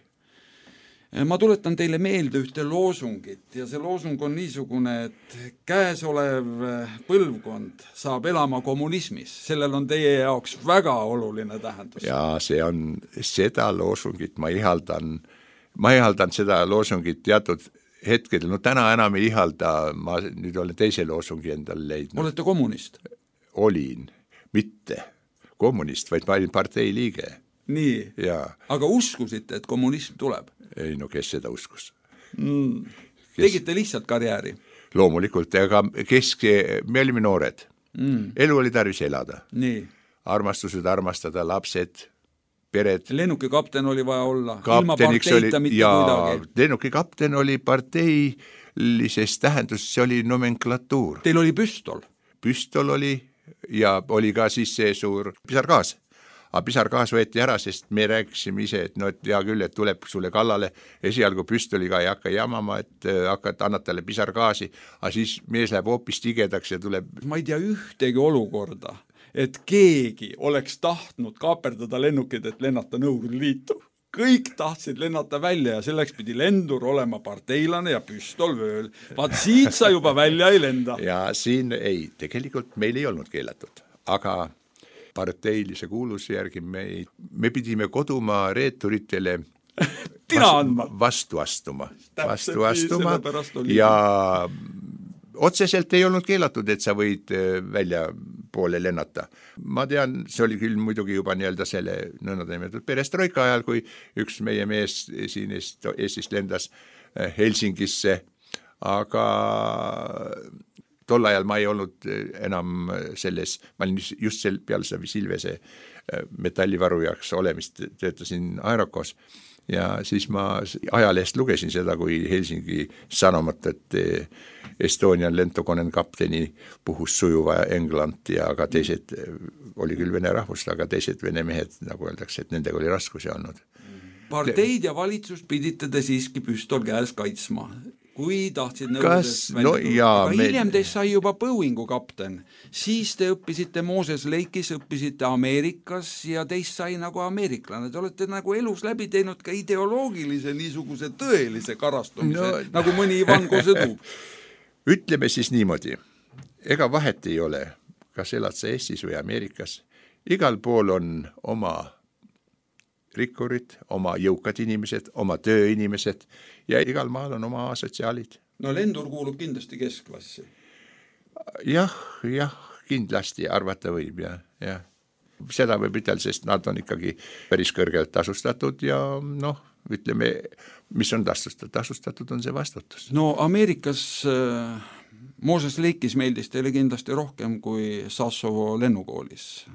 Ma tuletan teile meelde ühte loosungit ja see loosung on niisugune, et käesolev põlvkond saab elama kommunismis. Sellel on teie jaoks väga oluline tähendus. Ja see on, seda loosungit ma ihaldan, ma ihaldan seda loosungit teatud hetkedel, no täna enam ei ihalda, ma nüüd olen teise loosungi endale leidnud. Olete kommunist? Olin, mitte kommunist, vaid ma olin partei liige. Nii, ja. Aga uskusite, et kommunism tuleb? Ei, no kes seda uskus? Mm. Kes? Tegite lihtsalt karjääri? Loomulikult, aga kesk, me olime noored. Mm. Elu oli tarvis elada. Nii. Armastused armastada, lapsed, pered. Lennuki kapten oli vaja olla, ilma parteita oli, mitte ja, kuidagi. Lennuki kapten oli parteilises tähendus, see oli nomenklatuur. Teil oli püstol? Püstol oli ja oli ka siis see suur pisargaas. Aga pisargaas võeti ära, sest me rääkisime ise, et no et hea küll, et tuleb sulle kallale, esialgu püstoliga ei hakka jamama, et hakkad, annad talle pisargaasi, aga siis mees läheb hoopis tigedaks ja tuleb. Ma ei tea ühtegi olukorda, et keegi oleks tahtnud kaaperdada lennukid, et lennata Nõukogude Liitu. kõik tahtsid lennata välja ja selleks pidi lendur olema parteilane ja püstol vööl. Vaat siit sa juba välja ei lenda. Ja siin ei, tegelikult meil ei olnud keelatud, aga parteilise kuuluse järgi me, me pidime kodumaa reeturitele tina andma. vastu astuma, vastu Täpselt, astuma ja otseselt ei olnud keelatud, et sa võid välja poole lennata. Ma tean, see oli küll muidugi juba nii-öelda selle nõnda perestroika ajal, kui üks meie mees siin Eestist lendas Helsingisse, aga tol ajal ma ei olnud enam selles, ma olin just sel, peale seda Silvese metallivaru jaoks olemist, töötasin Aerokos ja siis ma ajalehest lugesin seda, kui Helsingi sanomat, et Estonian lentokoneen kapteni puhus sujuva England ja aga teised, oli küll vene rahvust, aga teised vene mehed, nagu öeldakse, et nendega oli raskusi olnud. Parteid ja valitsus pidite te siiski püstol käes kaitsma, kui tahtsid nõudest välja no, tulla. Aga me... hiljem teist sai juba Boeingu kapten. Siis te õppisite Moses Lake'is, õppisite Ameerikas ja teist sai nagu ameeriklane. Te olete nagu elus läbi teinud ka ideoloogilise niisuguse tõelise karastumise, no... nagu mõni Ivan Kosedu. Ütleme siis niimoodi, ega vahet ei ole, kas elad sa Eestis või Ameerikas. Igal pool on oma rikkurid, oma jõukad inimesed, oma tööinimesed ja igal maal on oma sotsiaalid. No lendur kuulub kindlasti keskklassi. Jah, jah, kindlasti arvata võib ja, ja. Seda võib ütelda, sest nad on ikkagi päris kõrgelt tasustatud ja noh, ütleme, mis on tasustatud, tasustatud on see vastutus. No Ameerikas äh, Moses Lake'is meeldis teile kindlasti rohkem kui Sassovo lennukoolis.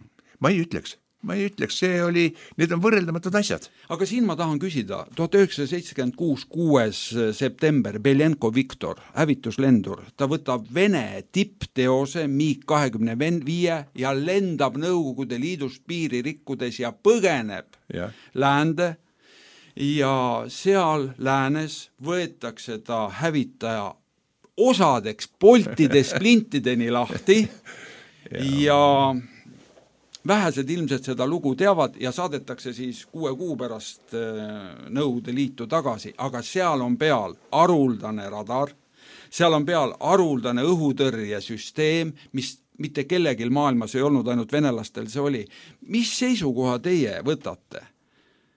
Ma ei ütleks. Ma ei ütleks, see oli, need on võrreldamatud asjad. Aga siin ma tahan küsida, tuhat üheksasada seitsekümmend kuus kuues september, Belenko Viktor, hävituslendur, ta võtab Vene tippteose MiG kahekümne viie ja lendab Nõukogude Liidust piiri rikkudes ja põgeneb ja. Läände ja seal läänes võetakse ta hävitaja osadeks poltide splintideni lahti ja, ja vähesed ilmselt seda lugu teavad ja saadetakse siis kuue kuu pärast Nõukogude Liitu tagasi, aga seal on peal haruldane radar, seal on peal haruldane õhutõrjesüsteem, mis mitte kellegil maailmas ei olnud, ainult venelastel see oli. Mis seisukoha teie võtate?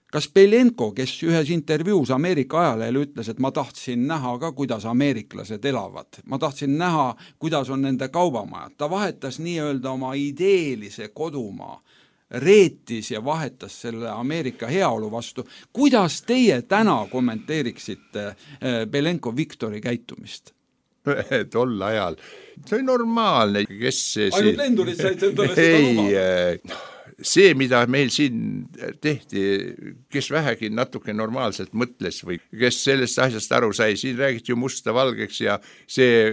Kas Belenko, kes ühes intervjuus Ameerika ajalehel ütles, et ma tahtsin näha ka, kuidas ameeriklased elavad. Ma tahtsin näha, kuidas on nende kaubamajad. Ta vahetas nii-öelda oma ideelise kodumaa, reetis ja vahetas selle Ameerika heaolu vastu. Kuidas teie täna kommenteeriksite Belenko Viktori käitumist? Tol ajal. See oli normaalne. Kes see, ainult lendurid said endale seda luma. See, mida meil siin tehti, kes vähegi natuke normaalselt mõtles või kes sellest asjast aru sai, siin räägiti ju musta valgeks ja see,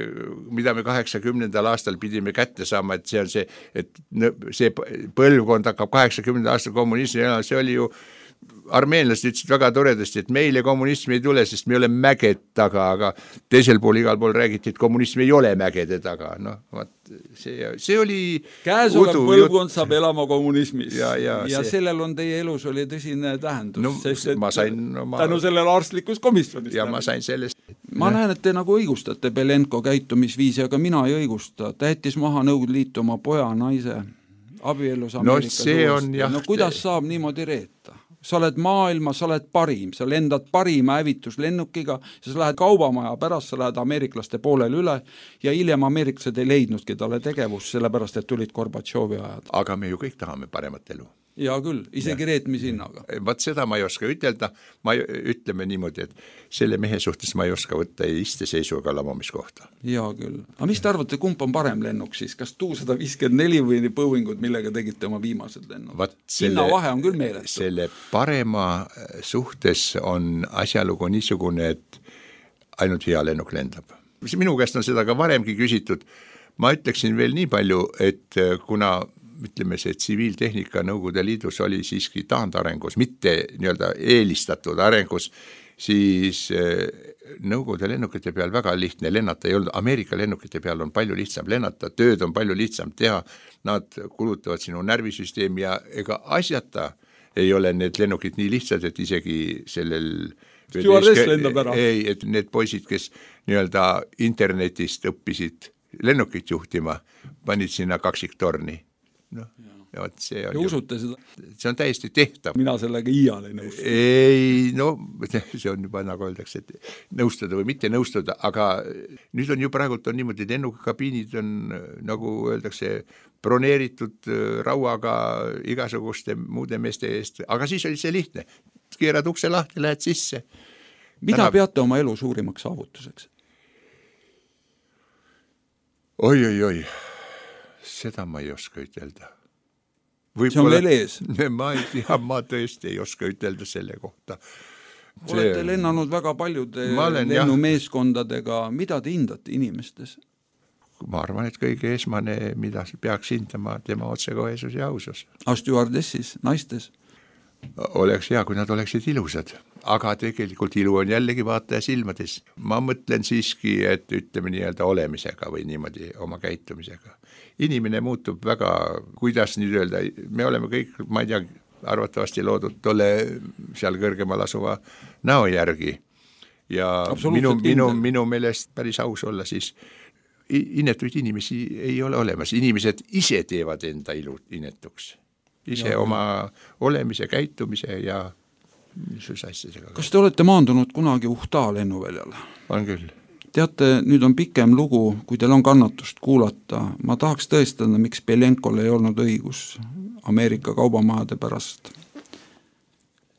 mida me kaheksakümnendal aastal pidime kätte saama, et see on see, et see põlvkond hakkab kaheksakümnenda aastal kommunismi, see oli ju armeenlased ütlesid väga toredasti, et meile kommunismi ei tule, sest me ei ole mäged taga, aga teisel pool igal pool räägiti, et kommunismi ei ole mägede taga. No, vaat, see, see oli käesolev põlvkond saab elama kommunismis ja, ja, ja see... sellel on teie elus oli tõsine tähendus, no, sest et ma sain, no, ma... tänu sellele arstlikus komisjonist. Ja ma sain sellest. Ma näen, et te nagu õigustate Belenko käitumisviisi, aga mina ei õigusta. Ta jättis maha Nõukogude Liitu oma poja, naise, abiellus Ameerikas no, see on, jah, no kuidas saab niimoodi reeta? Sa oled maailma, sa oled parim, sa lendad parima hävituslennukiga, sa lähed kaubamaja pärast, sa lähed ameeriklaste poolel üle ja hiljem ameeriklased ei leidnudki talle tegevust, sellepärast et tulid Gorbatšovi ajad. Aga me ju kõik tahame paremat elu. Ja küll, isegi reetmise hinnaga. Vaat seda ma ei oska ütelda, ma ütleme niimoodi, et selle mehe suhtes ma ei oska võtta iste seisuga lamamiskohta. Ja küll. Aga mis te arvate, kumb on parem lennuk siis? Kas Tu sada viiskümmend neli või Boeingud, millega tegite oma viimased lennuk? Hinna vahe on küll meeletu. Selle parema suhtes on asjalugu niisugune, et ainult hea lennuk lendab. Minu käest on seda ka varemgi küsitud. Ma ütleksin veel nii palju, et kuna ütleme see tsiviiltehnika Nõukogude Liidus oli siiski taandarengus, mitte nii-öelda eelistatud arengus, siis Nõukogude lennukite peal väga lihtne lennata ei olnud. Ameerika lennukite peal on palju lihtsam lennata, tööd on palju lihtsam teha, nad kulutavad sinu närvisüsteemi ja ega asjata ei ole need lennukid nii lihtsad, et isegi sellel Stewardess lendab ära. Ei, et need poisid, kes nii-öelda internetist õppisid lennukit juhtima, panid sinna kaksiktorni. Noh, ja võt see on, ja usute seda? See on täiesti tehtav. Mina sellega iial ei nõustu. Ei, no see on juba nagu öeldakse, et nõustada või mitte nõustada, aga nüüd on ju praegult on niimoodi, lennukabiinid on nagu öeldakse broneeritud rauaga igasuguste muude meeste eest, aga siis oli see lihtne. Keerad ukse lahti, lähed sisse. Mida Täna... peate oma elu suurimaks saavutuseks? Oi, oi, oi, seda ma ei oska ütelda. See on veel ees. Ma ei tea, ma tõesti ei oska ütelda selle kohta. See... Olete lennanud väga paljude lennumeeskondadega. Mida te hindate inimestes? Ma arvan, et kõige esmane, mida peaks hindama, tema otsekohesus ja ausus. A stewardessis, naistes? Oleks hea, kui nad oleksid ilusad, aga tegelikult ilu on jällegi vaataja silmades. Ma mõtlen siiski, et ütleme nii-öelda olemisega või niimoodi oma käitumisega. Inimene muutub väga, kuidas nüüd öelda, me oleme kõik, ma ei tea, arvatavasti loodud tolle seal kõrgemal asuva näo järgi ja minu, minu, minu meelest päris aus olla, siis inetuid inimesi ei ole olemas. Inimesed ise teevad enda ilu inetuks. Ise ja, oma olemise, käitumise ja niisuguse asjadega. Kas te olete maandunud kunagi Uhta lennuväljale? On küll. Teate, nüüd on pikem lugu, kui teil on kannatust kuulata. Ma tahaks tõestada, miks Belenkol ei olnud õigus Ameerika kaubamajade pärast.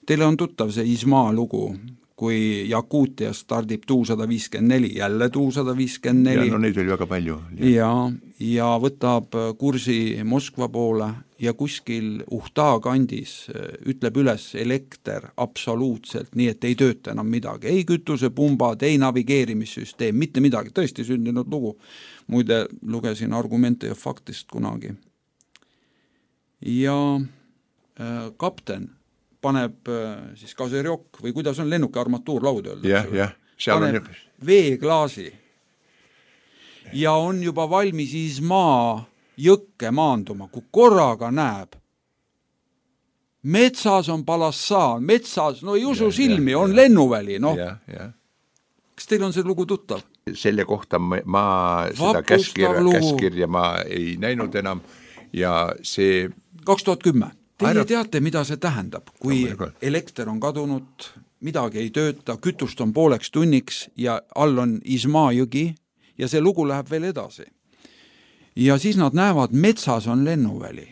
Teile on tuttav see Ismaa lugu, kui Jakuutia stardib tuu sada viiskümmend neli, jälle tuu sada viiskümmend neli. Ja no neid oli väga palju. Ja, ja võtab kursi Moskva poole ja kuskil Uhta kandis ütleb üles elekter absoluutselt, nii et ei tööta enam midagi. Ei kütusepumbad, ei navigeerimissüsteem, mitte midagi. Tõesti sündinud lugu. Muide, lugesin Argumente ja faktist kunagi. Ja äh, kapten paneb siis kaserjok või kuidas on lennuki armatuur laud öelda. Yeah, yeah. Paneb on... veeklaasi ja on juba valmis Ismaa jõkke maanduma, kui korraga näeb. Metsas on Palassaan, metsas, no ei usu yeah, silmi, yeah, on yeah. lennuväli. No. Yeah, yeah. Kas teil on see lugu tuttav? Selle kohta ma, ma seda käskirja, käskirja ma ei näinud enam ja see... kaks tuhat kümme Teie teate, mida see tähendab, kui elekter on kadunud, midagi ei tööta, kütust on pooleks tunniks ja all on Ismaa jõgi ja see lugu läheb veel edasi. Ja siis nad näevad, metsas on lennuväli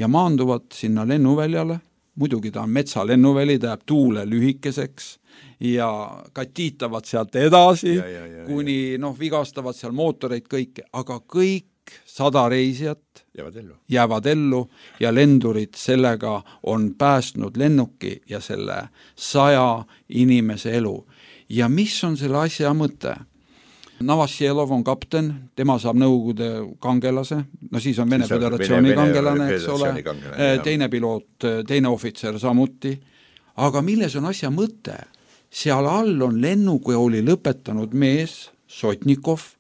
ja maanduvad sinna lennuväljale, muidugi ta on metsa lennuväli, ta jääb tuule lühikeseks ja katiitavad sealt edasi, ja, ja, ja, kuni noh, vigastavad seal mootoreid kõike, aga kõik sada reisijat jäävad ellu. jäävad ellu ja lendurid sellega on päästnud lennuki ja selle saja inimese elu. Ja mis on selle asja mõte? Navasjelov on kapten, tema saab Nõukogude kangelase, no siis on Vene siis Föderatsiooni Vene, kangelane, eks ole, kangelane, teine piloot, teine ohvitser samuti. Aga milles on asja mõte? Seal all on lennukooli lõpetanud mees, Sotnikov,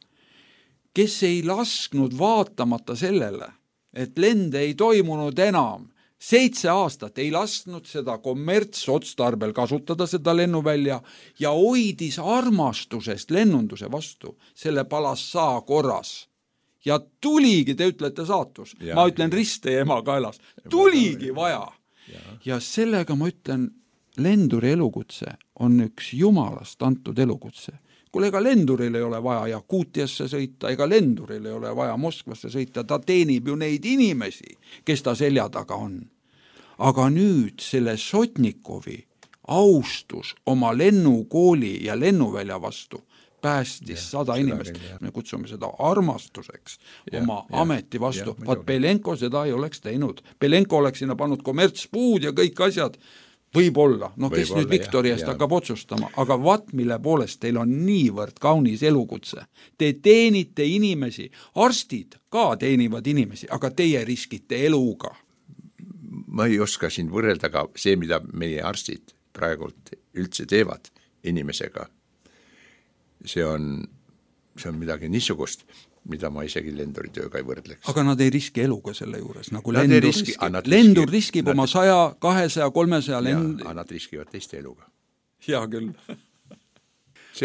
kes ei lasknud vaatamata sellele, et lende ei toimunud enam. Seitse aastat ei lasknud seda kommertsotstarbel kasutada seda lennuvälja ja hoidis armastusest lennunduse vastu selle Palassaa korras. Ja tuligi, te ütlete saatus, ja, ma ütlen riste ja ema kaelas, tuligi vaja. Ja. ja sellega ma ütlen, lenduri elukutse on üks jumalast antud elukutse. Kuule, ega lenduril ei ole vaja Jakuutiasse sõita, ega lenduril ei ole vaja Moskvasse sõita, ta teenib ju neid inimesi, kes ta selja taga on. Aga nüüd selle Sotnikovi austus oma lennukooli ja lennuvälja vastu päästis ja, sada inimest. Me kutsume seda armastuseks ja, oma ja, ameti vastu. Vaat Belenko seda ei oleks teinud. Belenko oleks sinna pannud kommertspuud ja kõik asjad. Võib-olla, no kes Võib nüüd Viktori eest hakkab otsustama, aga vat mille poolest teil on niivõrd kaunis elukutse. Te teenite inimesi, arstid ka teenivad inimesi, aga teie riskite eluga. Ma ei oska siin võrrelda ka see, mida meie arstid praegult üldse teevad inimesega. See on, see on midagi niisugust. mida ma isegi lenduritööga ei võrdleks. aga nad ei riski eluga selle juures, nagu nad lendur riski, riskib. Lendur riskib nad... oma saja, kahesaja, kolmesaja lend... Ja, nad riskivad teiste eluga. Hea küll. On...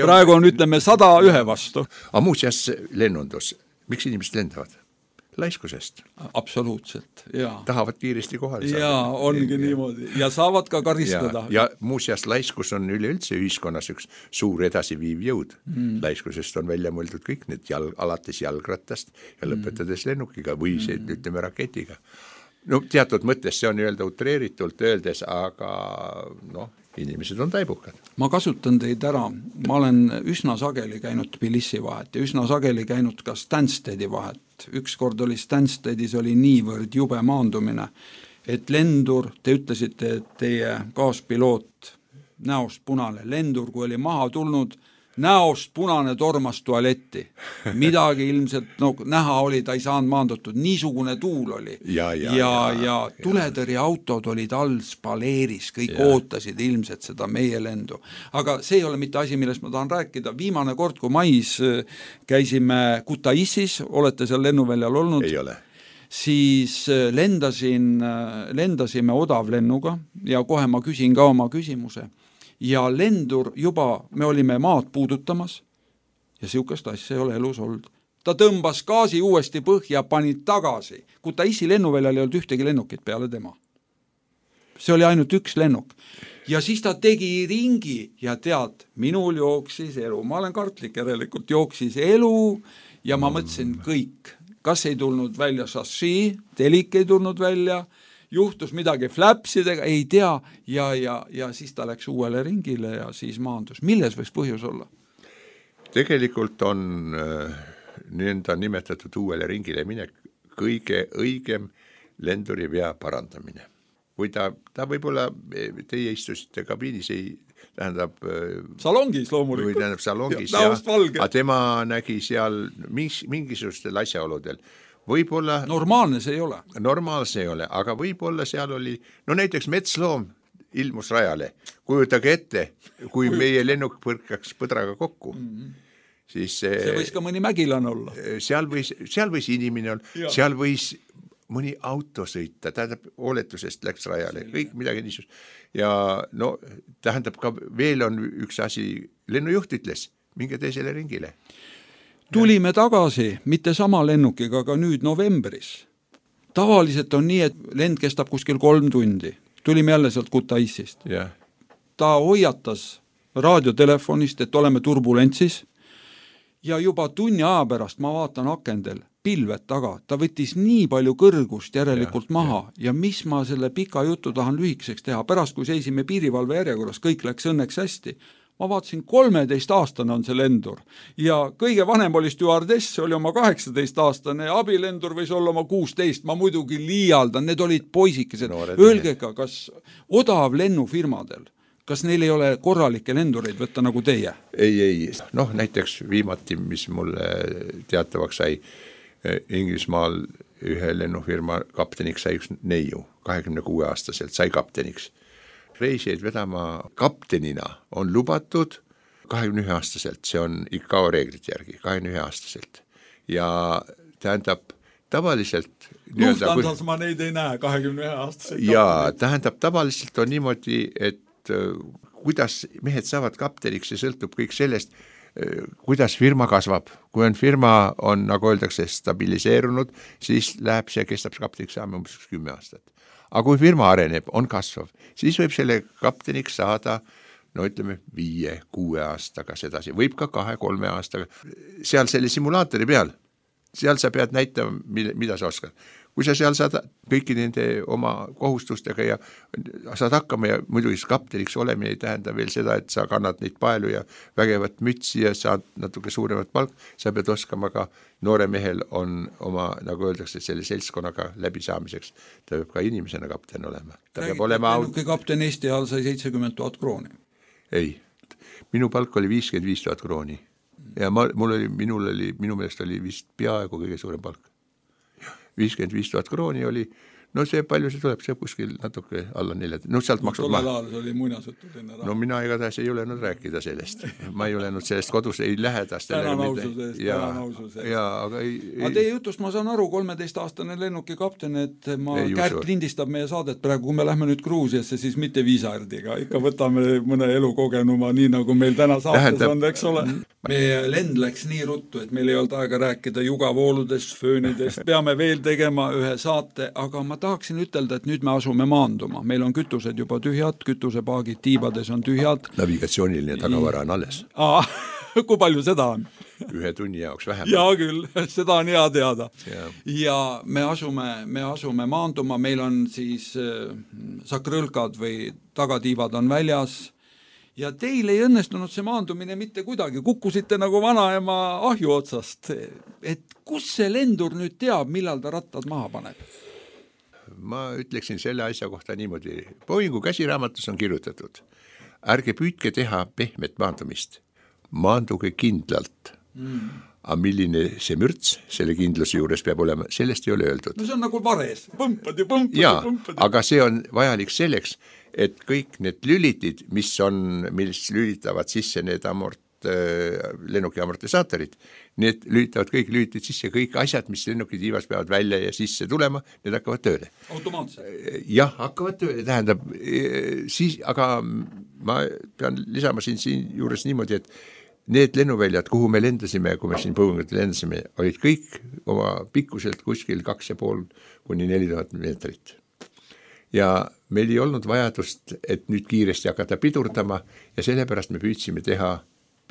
praegu on, ütleme, sada ühe vastu. Aga muuseas lennundus, miks inimesed lendavad? Laiskusest. Absoluutselt, jaa. Tahavad kiiresti kohale saada. Jaa, ongi ja, niimoodi. Ja saavad ka karistada. Ja, ja muuseas laiskus on üleüldse ühiskonnas üks suur edasiviiv jõud. Mm. Laiskusest on välja mõeldud kõik need jalg, alates jalgrattast ja lõpetades lennukiga või see, mm. ütleme, raketiga. No teatud mõttes see on öelda utreeritult öeldes, aga noh, inimesed on taibukad. Ma kasutan teid ära, ma olen üsna sageli käinud Tbilisi vahet ja üsna sageli käinud ka Stanstedi vahet. Üks kord oli Stanstedis oli niivõrd jube maandumine, et lendur, te ütlesite, et teie kaaspiloot näost punane, lendur, kui oli maha tulnud, näost punane tormas tualetti. Midagi ilmselt, no näha oli, ta ei saanud maandatud, niisugune tuul oli. Ja, ja, ja, ja, ja tuletõrjeautod olid all spaleeris, kõik ja. Ootasid ilmselt seda meie lendu. Aga see ei ole mitte asi, millest ma tahan rääkida. Viimane kord, kui mais käisime Kutaissis, olete seal lennuväljal olnud? Ei ole. Siis lendasin, lendasime odavlennuga ja kohe ma küsin ka oma küsimuse. Ja lendur juba, me olime maad puudutamas ja siukest asja ei ole elus olnud. Ta tõmbas gaasi uuesti põhja, pani tagasi. Kui ta isi lennuväljal ei olnud ühtegi lennukit peale tema. See oli ainult üks lennuk. Ja siis ta tegi ringi ja tead, minul jooksis elu. Ma olen kartlik järelikult, jooksis elu ja ma mõtlesin kõik. Kas ei tulnud välja šassi, telik ei tulnud välja, juhtus midagi flapsidega, ei tea, ja, ja, ja siis ta läks uuele ringile ja siis maandus. Milles võiks põhjus olla? Tegelikult on äh, nii-enda nimetatud uuele ringile minek kõige õigem lenduri vea parandamine. Kui ta, ta võib-olla, teie istusite kabiinis, ei tähendab... Salongis loomulikult. Või tähendab salongis, ja, ja, aga tema nägi seal mis, mingisugustel asjaoludel. Võib-olla, normaalne see ei ole. Normaalne see ei ole, aga võib-olla seal oli, no näiteks metsloom ilmus rajale, kujutage ette, kui meie lennuk põrkaks põdraga kokku, mm-hmm. siis see võis ka mõni mägilane olla. Seal võis, seal võis inimene olla, seal võis mõni auto sõita, tähendab, oletusest läks rajale, kõik midagi niisugust. Ja no tähendab ka, veel on üks asi, lennujuht ütles, minge teisele ringile. Tulime tagasi, mitte sama lennukiga, aga nüüd novembris. Tavaliselt on nii, et lend kestab kuskil kolm tundi. Tulime jälle sealt Kutaisist. Yeah. Ta hoiatas raadiotelefonist, et oleme turbulentsis ja juba tunni aja pärast ma vaatan akendel pilved taga. Ta võttis nii palju kõrgust järelikult yeah, maha yeah. ja mis ma selle pika jutu tahan lühikeseks teha. Pärast, kui seisime piirivalve järjekorras, kõik läks õnneks hästi. Ma vaatasin, kolmeteist aastane on see lendur ja kõige vanem oli stjuardess, oli oma kaheksateist aastane, abilendur võis olla oma kuusteist, ma muidugi liialdan, need olid poisikesed. Öelge ka, kas odav lennufirmadel, kas neil ei ole korralikke lendureid võtta nagu teie? Ei, ei, noh näiteks viimati, mis mulle teatavaks sai, Inglismaal ühe lennufirma kapteniks sai üks neiu, kahekümne kuue aastaselt sai kapteniks. Reisijaid vedama kaptenina on lubatud kahekümne ühe aastaselt, see on I C A O reeglite järgi, kahekümne ühe aastaselt. Ja tähendab tavaliselt... Lufthansas ma neid ei näe, kahekümne ühe aastaselt. Ja tähendab tavaliselt on niimoodi, et kuidas mehed saavad kapteniks, see sõltub kõik sellest, kuidas firma kasvab. Kui on firma on, nagu öeldakse, stabiliseerunud, siis läheb see, kestab kapteniks saama umbes kümme aastat. Aga kui firma areneb, on kasvav, siis võib selle kapteniks saada, no ütleme, viie, kuue aastaga sedasi, võib ka kahe, kolme aastaga. Seal selle simulaatori peal, seal sa pead näitama, mida sa oskad. Kui sa seal saad kõiki nende oma kohustustega ja saad hakkama ja muidugi kapteniks olemine ei tähenda veel seda, et sa kannad neid paelu ja vägevat mütsi ja saad natuke suuremat palk, sa pead oskama ka, noore mehel on oma, nagu öeldakse, selle seltskonnaga läbisaamiseks, ta peab ka inimesena kapten olema. Ta peab olema... Lennuki kapten Eesti ajal sai seitsekümmend tuhat krooni. Ei, minu palk oli viiskümmend viis tuhat krooni ja ma, mul oli, minul oli, minu meelest oli vist peaaegu kõige suurem palk. viiskümmend viis tuhat krooni oli, no see palju see tuleb, see kuskil natuke alla nelja, no sealt maksud maha. Tollel ajal see oli muinasjutuline raha. No mina igatahes ei julenud rääkida sellest. Ma ei julenud sellest kodus, ei lähedast. Tänan aususe eest, tänan aususe eest. Jaa, aga ei... Aga teie jutust ma saan aru, kolmeteistaastane lennukikapten, et ma ei Kärt usu. Lindistab meie saadet praegu, kui me lähme nüüd Gruusiasse, siis mitte viisardiga, ikka võtame mõne elukogenuma, nii nagu meil täna saates Tähendab... on, eks ole. Meie lend läks nii ruttu, et meil ei olnud aega rääkida jugavooludest, föönidest, peame veel tegema ühe saate, aga ma tahaksin ütelda, et nüüd me asume maanduma. Meil on kütused juba tühjad, kütusepaagid tiibades on tühjad. Navigatsiooniline tagavara on alles. Aa, kui palju seda on? Ühe tunni jaoks vähem. Jaa küll, seda on hea teada. Ja, ja me, asume, me asume maanduma, meil on siis äh, sakrõlkad või tagatiivad on väljas. Ja teil ei õnnestunud see maandumine mitte kuidagi, kukkusite nagu vanaema ahju otsast, et kus see lendur nüüd teab, millal ta rattad maha paneb? Ma ütleksin selle asja kohta niimoodi, Boeingu käsiraamatus on kirjutatud, ärge püüdke teha pehmet maandumist, maanduge kindlalt. Mm. Aga milline see mürts selle kindluse juures peab olema, sellest ei ole öeldud. No see on nagu vares, põmpad ja põmpad ja, ja põmpad. Aga see on vajalik selleks, et kõik need lülitid, mis on, mis lülitavad sisse need amort, lennuki amortisaatorid, need lülitavad kõik lülitid sisse, kõik asjad, mis lennuki tiivas peavad välja ja sisse tulema, need hakkavad tööle. Automaatselt? Jah, hakkavad tööle, tähendab, siis, aga ma pean lisama siin, siin juures niimoodi, et need lennuväljad, kuhu me lendasime, kui me siin Boeingut lendasime, olid kõik oma pikkuselt kuskil kaks ja pool kuni neli tuhat meetrit. Ja meil ei olnud vajadust, et nüüd kiiresti hakata pidurdama ja sellepärast me püüdsime teha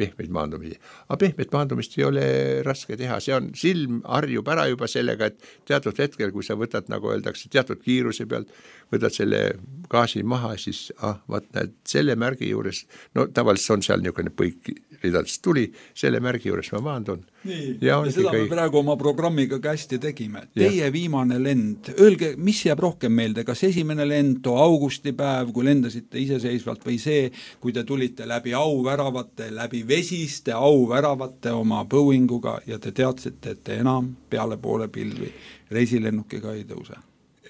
pehmeid maandumisi. Aga pehmet maandumist ei ole raske teha, see on silm harjub ära juba sellega, et teatud hetkel, kui sa võtad, nagu öeldakse, teatud kiiruse pealt, võtad selle gaasi maha, siis ah, vaat näed, selle märgi juures, no tavaliselt on seal niisugune põik ridadest tuli, selle märgi juures ma maandun. Nii, ja, ja seda kõik... me praegu oma programmiga kästi tegime. Teie ja. Viimane lend, öelge, mis jääb rohkem meelde, kas esimene lend, too augustipäev, kui lendasite iseseisvalt või see, kui te tulite läbi auväravate, läbi vesiste auväravate oma Boeinguga ja te teadsite, et te enam peale poole pilvi reisilennukiga ei tõuse?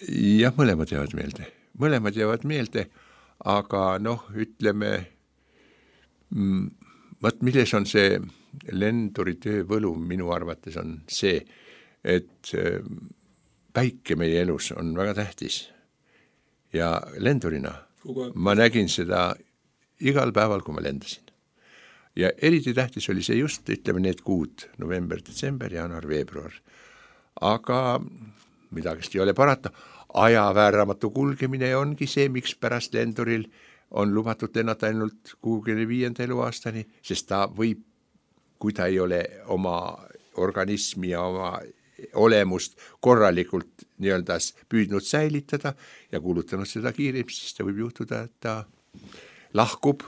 Jah, mõlemad jäävad meelde. Mõlemad jäävad meelde, aga noh, ütleme, mm, võt milles on see lenduri töövõlu minu arvates on see, et päike meie elus on väga tähtis ja lendurina ma nägin seda igal päeval, kui ma lendasin. Ja eriti tähtis oli see just, ütleme, need kuud, november, detsember, jaanuar, veebruar. Aga midagist ei ole parata. Ajavääramatu kulgemine ongi see, miks pärast lenduril on lubatud lennata ainult kuuekümne viienda eluaastani, sest ta võib, kui ta ei ole oma organismi ja oma olemust korralikult nii-öelda püüdnud säilitada ja kuulutanud seda kiiremini, siis ta võib juhtuda, et ta lahkub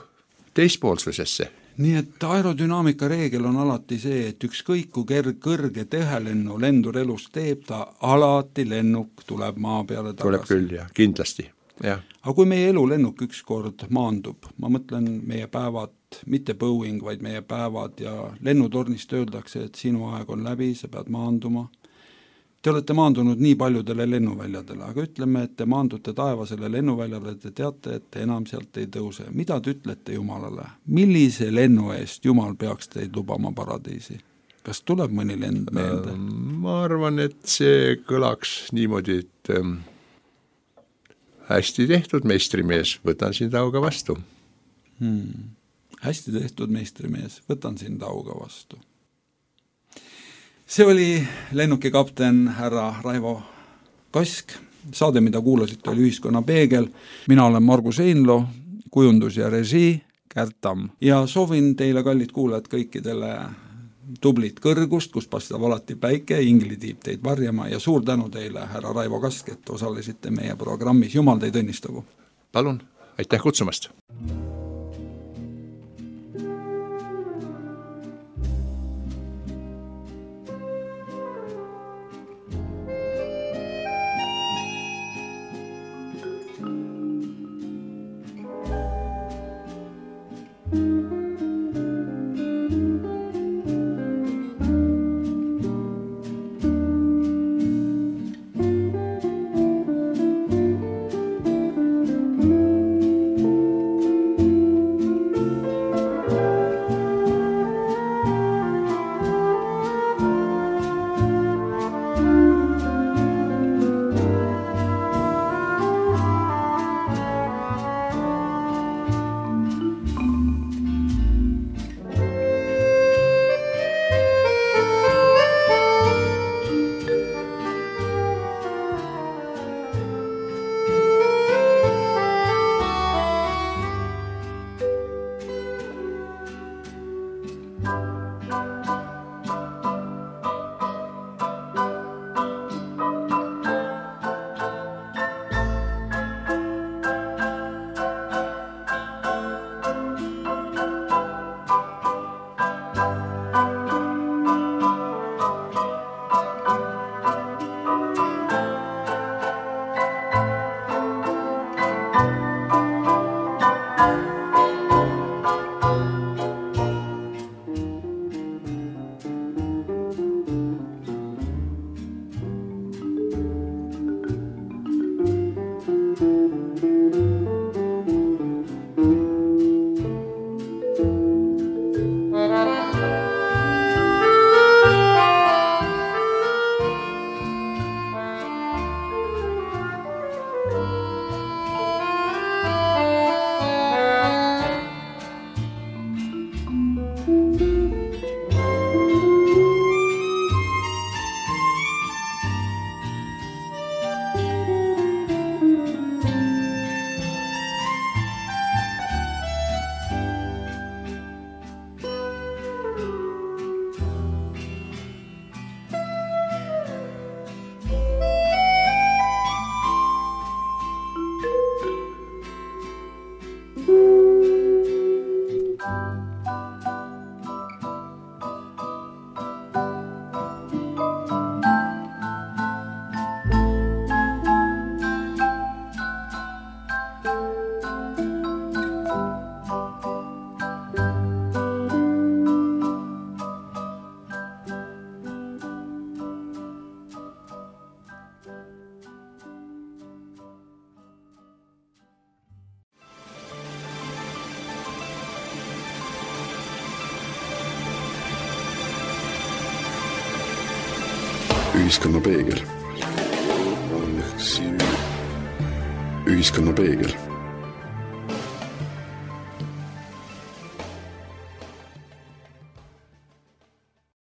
teispoolsusesse. Nii et aerodünaamika reegel on alati see, et ükskõik kui ker- kõrge tehelennu lendur elus teeb, ta alati lennuk tuleb maa peale tagasi. Tuleb küll, jah, kindlasti. Ja. Aga kui meie elu lennuk ükskord maandub, ma mõtlen meie päevad, mitte Boeing, vaid meie päevad ja lennutornist öeldakse, et sinu aeg on läbi, sa pead maanduma. Te olete maandunud nii paljudele lennuväljadele, aga ütleme, et te maandute taevasele lennuväljale, te teate, et te enam sealt ei tõuse. Mida te ütlete Jumalale? Millise lennu eest Jumal peaks teid lubama paradiisi? Kas tuleb mõni lend meelde? Ma arvan, et see kõlaks niimoodi, et ähm, hästi tehtud meistrimees, võtan sind auga vastu. Hmm. Hästi tehtud meistrimees, võtan sind auga vastu. See oli lennukikapten härra Raivo Kask. Saade, mida kuulasite, oli Ühiskonna peegel. Mina olen Margus Einlo, kujundus ja režii Kärt Tamm. Ja soovin teile, kallid kuulajad, kõikidele tublit kõrgust, kus paistab alati päike, inglitiib teid varjama ja suur tänu teile, härra Raivo Kask, et osalesite meie programmis. Jumal teid õnnistagu. Palun, aitäh kutsumast. ühiskonna peegel. ühiskonna peegel